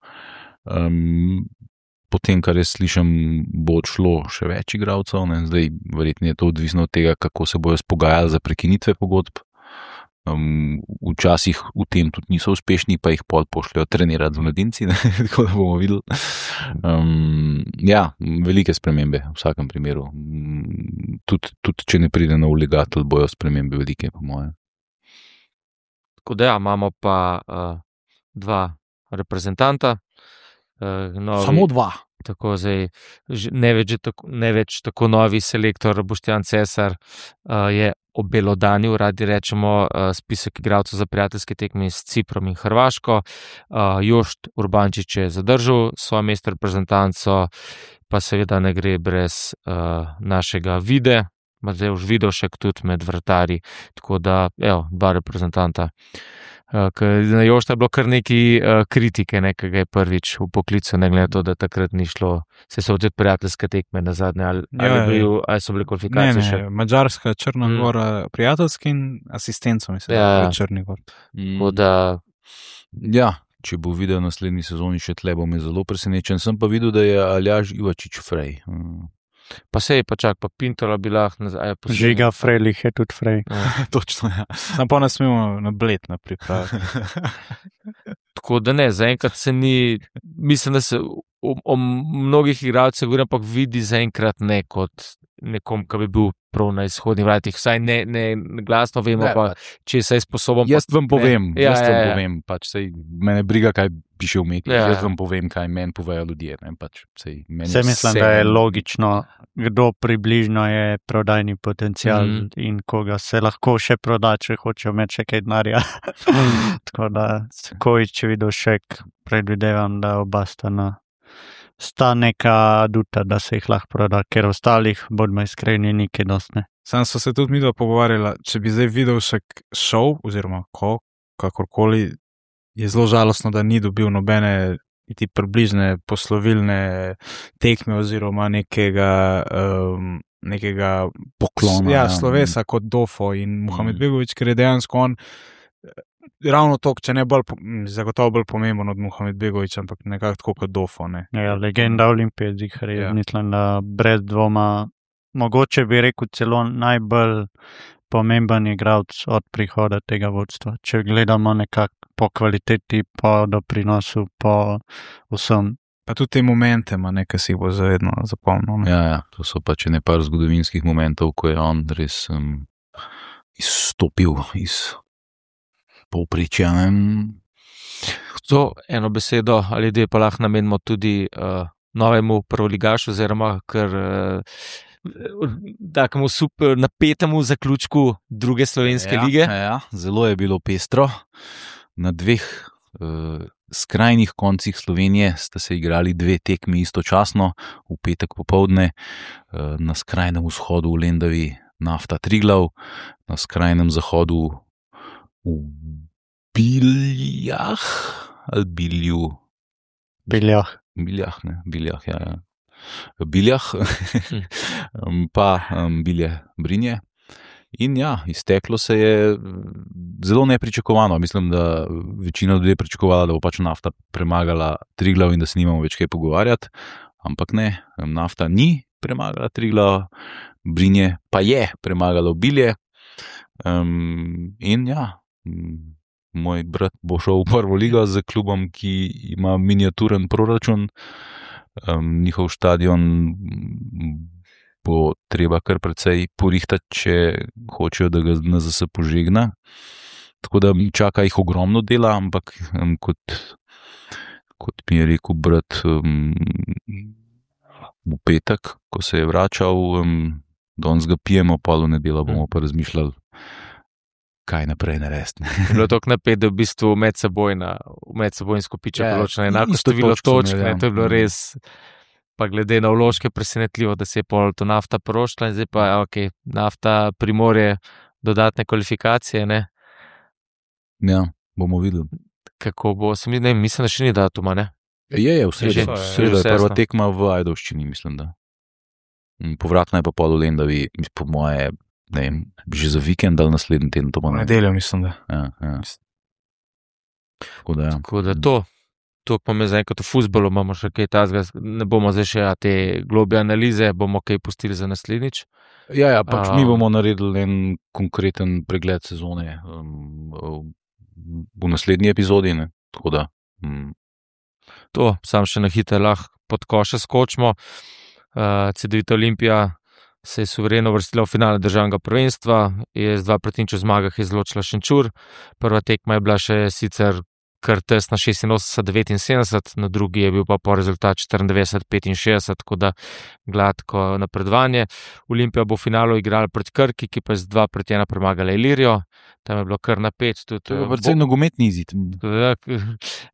Potem, kar jaz slišam, bo odšlo še več igralcev. Ne? Zdaj, verjetno je to odvisno od tega, kako se bojo spogajali za prekinitve pogodb. Včasih v tem tudi niso uspešni, pa jih pol pošljajo trenirati z mladinci, tako da bomo videli. Ja, velike spremembe v vsakem primeru. Tudi če ne pride nov vlagatelj, bojo spremembe velike, po moje. Tako da ja, imamo pa 2 reprezentanta. Samo 2. Tako zdaj, ne več tako novi selektor Boštjan Cesar je obelodanil, radi rečemo, spisek igralcev za prijateljske tekme s Ciprom in Hrvaško. Jošt Urbančič je zadržal svoje mesto reprezentanco, pa seveda ne gre brez našega Vide, Matevž Vidošek tudi med vratarji, tako da, 2 reprezentanta Na Jošta je bilo kar nekaj kritike, ki ga je prvič v poklicu, ne glede na to, da takrat ni šlo. Se so tudi prijateljske tekme na zadnje, ali so bile kvalifikacije še? Ne, Madžarska, Črna Gora, prijateljski in asistenco, mislim, da je Črni Gor. Ja, če bo videl naslednji sezoni še tle, bo me zelo presenečen. Sem pa videl, da je Aljaž Ivačič Frej. Pa sej, pa čak, pa Pintola bi lahko nazaj. Žiga Frejlih je tudi Frej. Točno, ja. Sam pa ne smemo na bled na pripravi. Tako da ne, zaenkrat se ni, mislim, da se o mnogih igralcih govorim, ampak vidi zaenkrat ne kot nekom, ki bi bil prav na izhodnih vratih. Vsaj ne glasno vemo, pa če se je sposoben. Jaz vam povem, pač sej mene briga, kaj piše v medijih. Jaz vam povem, kaj meni povejo ljudje. Se mislim, da je logično, kdo približno je prodajni potencial in koga se lahko še proda, če hoče imeti še kaj denarja. Tako da, Kojič Vidošek, predvidevam, da oba sta neka aduta, da se jih lahko proda, ker ostalih, bodimo iskreni, nikaj dostne. Sam so se tudi midva pogovarjala, če bi zdaj Vidovšek šel, oziroma kakorkoli, je zelo žalostno, da ni dobil nobene niti približne poslovilne tekme oziroma nekega poklona. Ja, slovesa kot Dofo in Mohamed Begović, ker je dejansko on ravno to, če ne bolj, zagotovo bolj pomemben od Mohamed Begović, ampak nekako tako kot Dofo. Ne. Ja, legenda Olimpije, mislim, da brez dvoma, mogoče bi rekel celo najbolj pomemben igralec od prihoda tega vodstva. Če gledamo nekako po kvaliteti, po doprinosu, po vsem. Pa tudi te momente ima nekaj, si bo zavedno zapomnil. Ja, to so pač nekaj zgodovinskih momentov, ko je on res izstopil iz povprečja. To eno besedo ali dve pa lahko namenimo tudi novemu prvoligašu, oziroma kar takemu super napetemu zaključku druge slovenske lige. Ja, zelo je bilo pestro. Na dveh skrajnih koncih Slovenije sta se igrali dve tekmi istočasno, v petek popoldne, na skrajnem vzhodu v Lendavi Nafta Triglav, na skrajnem zahodu v Biljah ali Bilju? Biljah, ja. Biljah, pa Bilje Brinje. In ja, izteklo se je zelo nepričakovano. Mislim, da večina ljudi je pričakovala, da bo pač Nafta premagala Triglav in da se nimamo več kaj pogovarjati, ampak ne, Nafta ni premagala Triglav, Brinje pa je premagalo Bilje. In ja, moj brat bo šel v prvo ligo z klubom, ki ima miniaturen proračun. Njihov stadion bo treba kar precej porihtati, če hočejo, da ga NZS požegna. Tako da čaka jih ogromno dela, ampak kot mi je rekel brat v petek, ko se je vračal, danes ga pijemo, pol v nedeljo bomo pa razmišljali, kaj naprej narediti. Bilo je tako napet, da v bistvu medsebojnsko piče določeno enako število točk, to je bilo res, pa glede na vložke presenetljivo, da se je pol to Nafta porošla in zdaj pa Nafta Primorje dodatne kvalifikacije, ne? Ja, bomo videli. Kako bo, mislim, da še ni datuma, ne? Je, v sredo je prva tekma v Ajdovščini, mislim, da. Povratna je pa pol v Lendavi, po moje, ne vem, že za vikend ali naslednji teden, to bo nedeljo, mislim, da. Ja. Tako da to pa me zaenkrat v fuzbolu imamo še kaj tazga, ne bomo zdaj še te globje analize, bomo kaj pustili za naslednjič. Ja, pač mi bomo naredili en konkreten pregled sezone v naslednji epizodi, ne, tako da. To, sam še na hitro lahko pod koše skočimo. Cedevita Olimpija se je suvereno uvrstila v finale državnega prvenstva, je z 2-0 zmagah izločila Šenčur. Prva tekma je bila še sicer kar tesna 86-79, na drugi je bil pa po rezultat 94-65, tako da gladko napredovanje. Olimpija bo v finalu igrala proti Krki, ki pa je z 2-1 premagala Ilirijo. Tam je bilo kar napet. To je predvsem nogometni izid.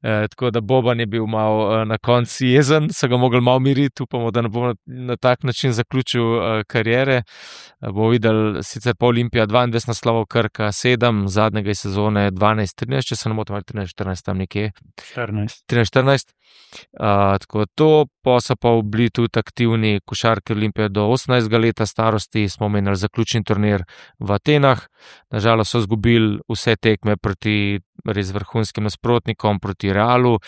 Tako da Boban je bil malo na koncu jezen, so ga mogli malo miriti, upamo, da ne bo na tak način zaključil kariere. Bomo videli, sicer pa Olimpija 22 naslovov, Krka 7, zadnjega iz sezone 12-13, če se ne motim, 13-14 tam nekje. 13-14. Tako to, pa so pa bili tudi aktivni košarki Olimpije do 18 leta starosti, smo menili zaključni turnir v Atenah. Nažalost so izgubili vse tekme proti res vrhunskim nasprotnikom, proti Realu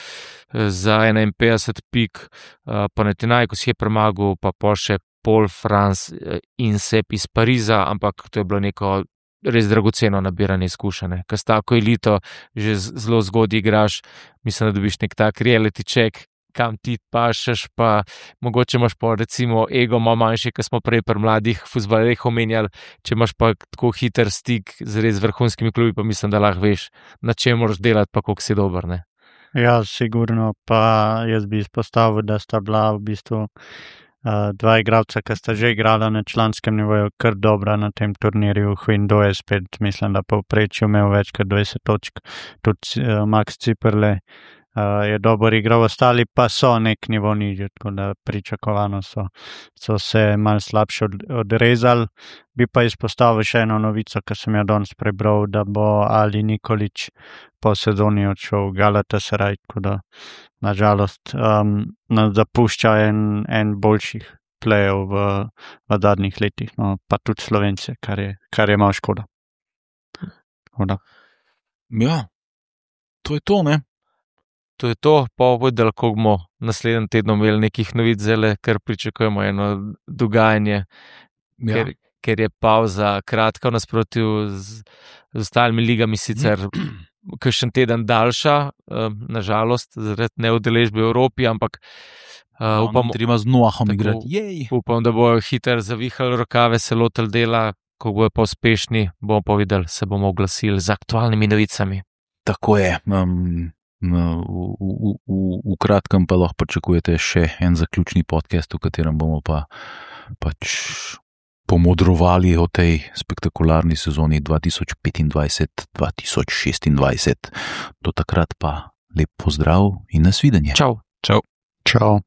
za 51 pik, Panathinaikos je premagal, pa še Paul France in Sep iz Pariza, ampak to je bilo neko res dragoceno nabiranje izkušenj. Ker s tako elito že zelo zgodaj igraš, mislim, da dobiš nek tak reality check, kam ti pašeš, pa mogoče imaš pa recimo ego malo manjši, kot smo prej pri mladih fuzbalerjih omenjali, če imaš pa tako hiter stik z res vrhunskimi klubi, pa mislim, da lahko veš, na čem moraš delati, pa koliko si dober, ne? Ja, sigurno, pa jaz bi izpostavil, da sta bila v bistvu dva igralca, ki sta že igrala na članskem nivoju, kar dobra na tem turnirju. Hvindo je spet, mislim, da povprečju imel več kot 20 točk, tudi Max Ciperle je dober igral, ostali pa so nek nivo nižje, tako da pričakovano so se malo slabše odrezali. Bi pa izpostavil še eno novico, ki sem jo danes prebral, da bo Ali Nikolić po sezoni odšel v Galatasaray, tako da nažalost nas zapušča en boljših plejev v zadnjih letih, no, pa tudi Slovence, kar je malo škoda. Ja, to je to, ne? To je to, pa videli, koliko bomo naslednjem tednu imeli nekih novic, zelo, ker pričakujemo eno dogajanje, ker je pauza kratka v nasprotju z ostalimi ligami, sicer kakšen teden daljša, nažalost, zaradi neudeležbe v Evropi, ampak treba z Noahom igrati. Upam, da bojo hitro zavihali rokave, se lotili dela, ko bojo pa uspešni, bomo pa videli, se bomo oglasili z aktualnimi novicami. Tako je. V kratkem pa lahko pričakujete še en zaključni podcast, v katerem bomo pač pomodrovali o tej spektakularni sezoni 2025-2026. Do takrat pa lep pozdrav in nasvidenje. Čau. Čau. Čau.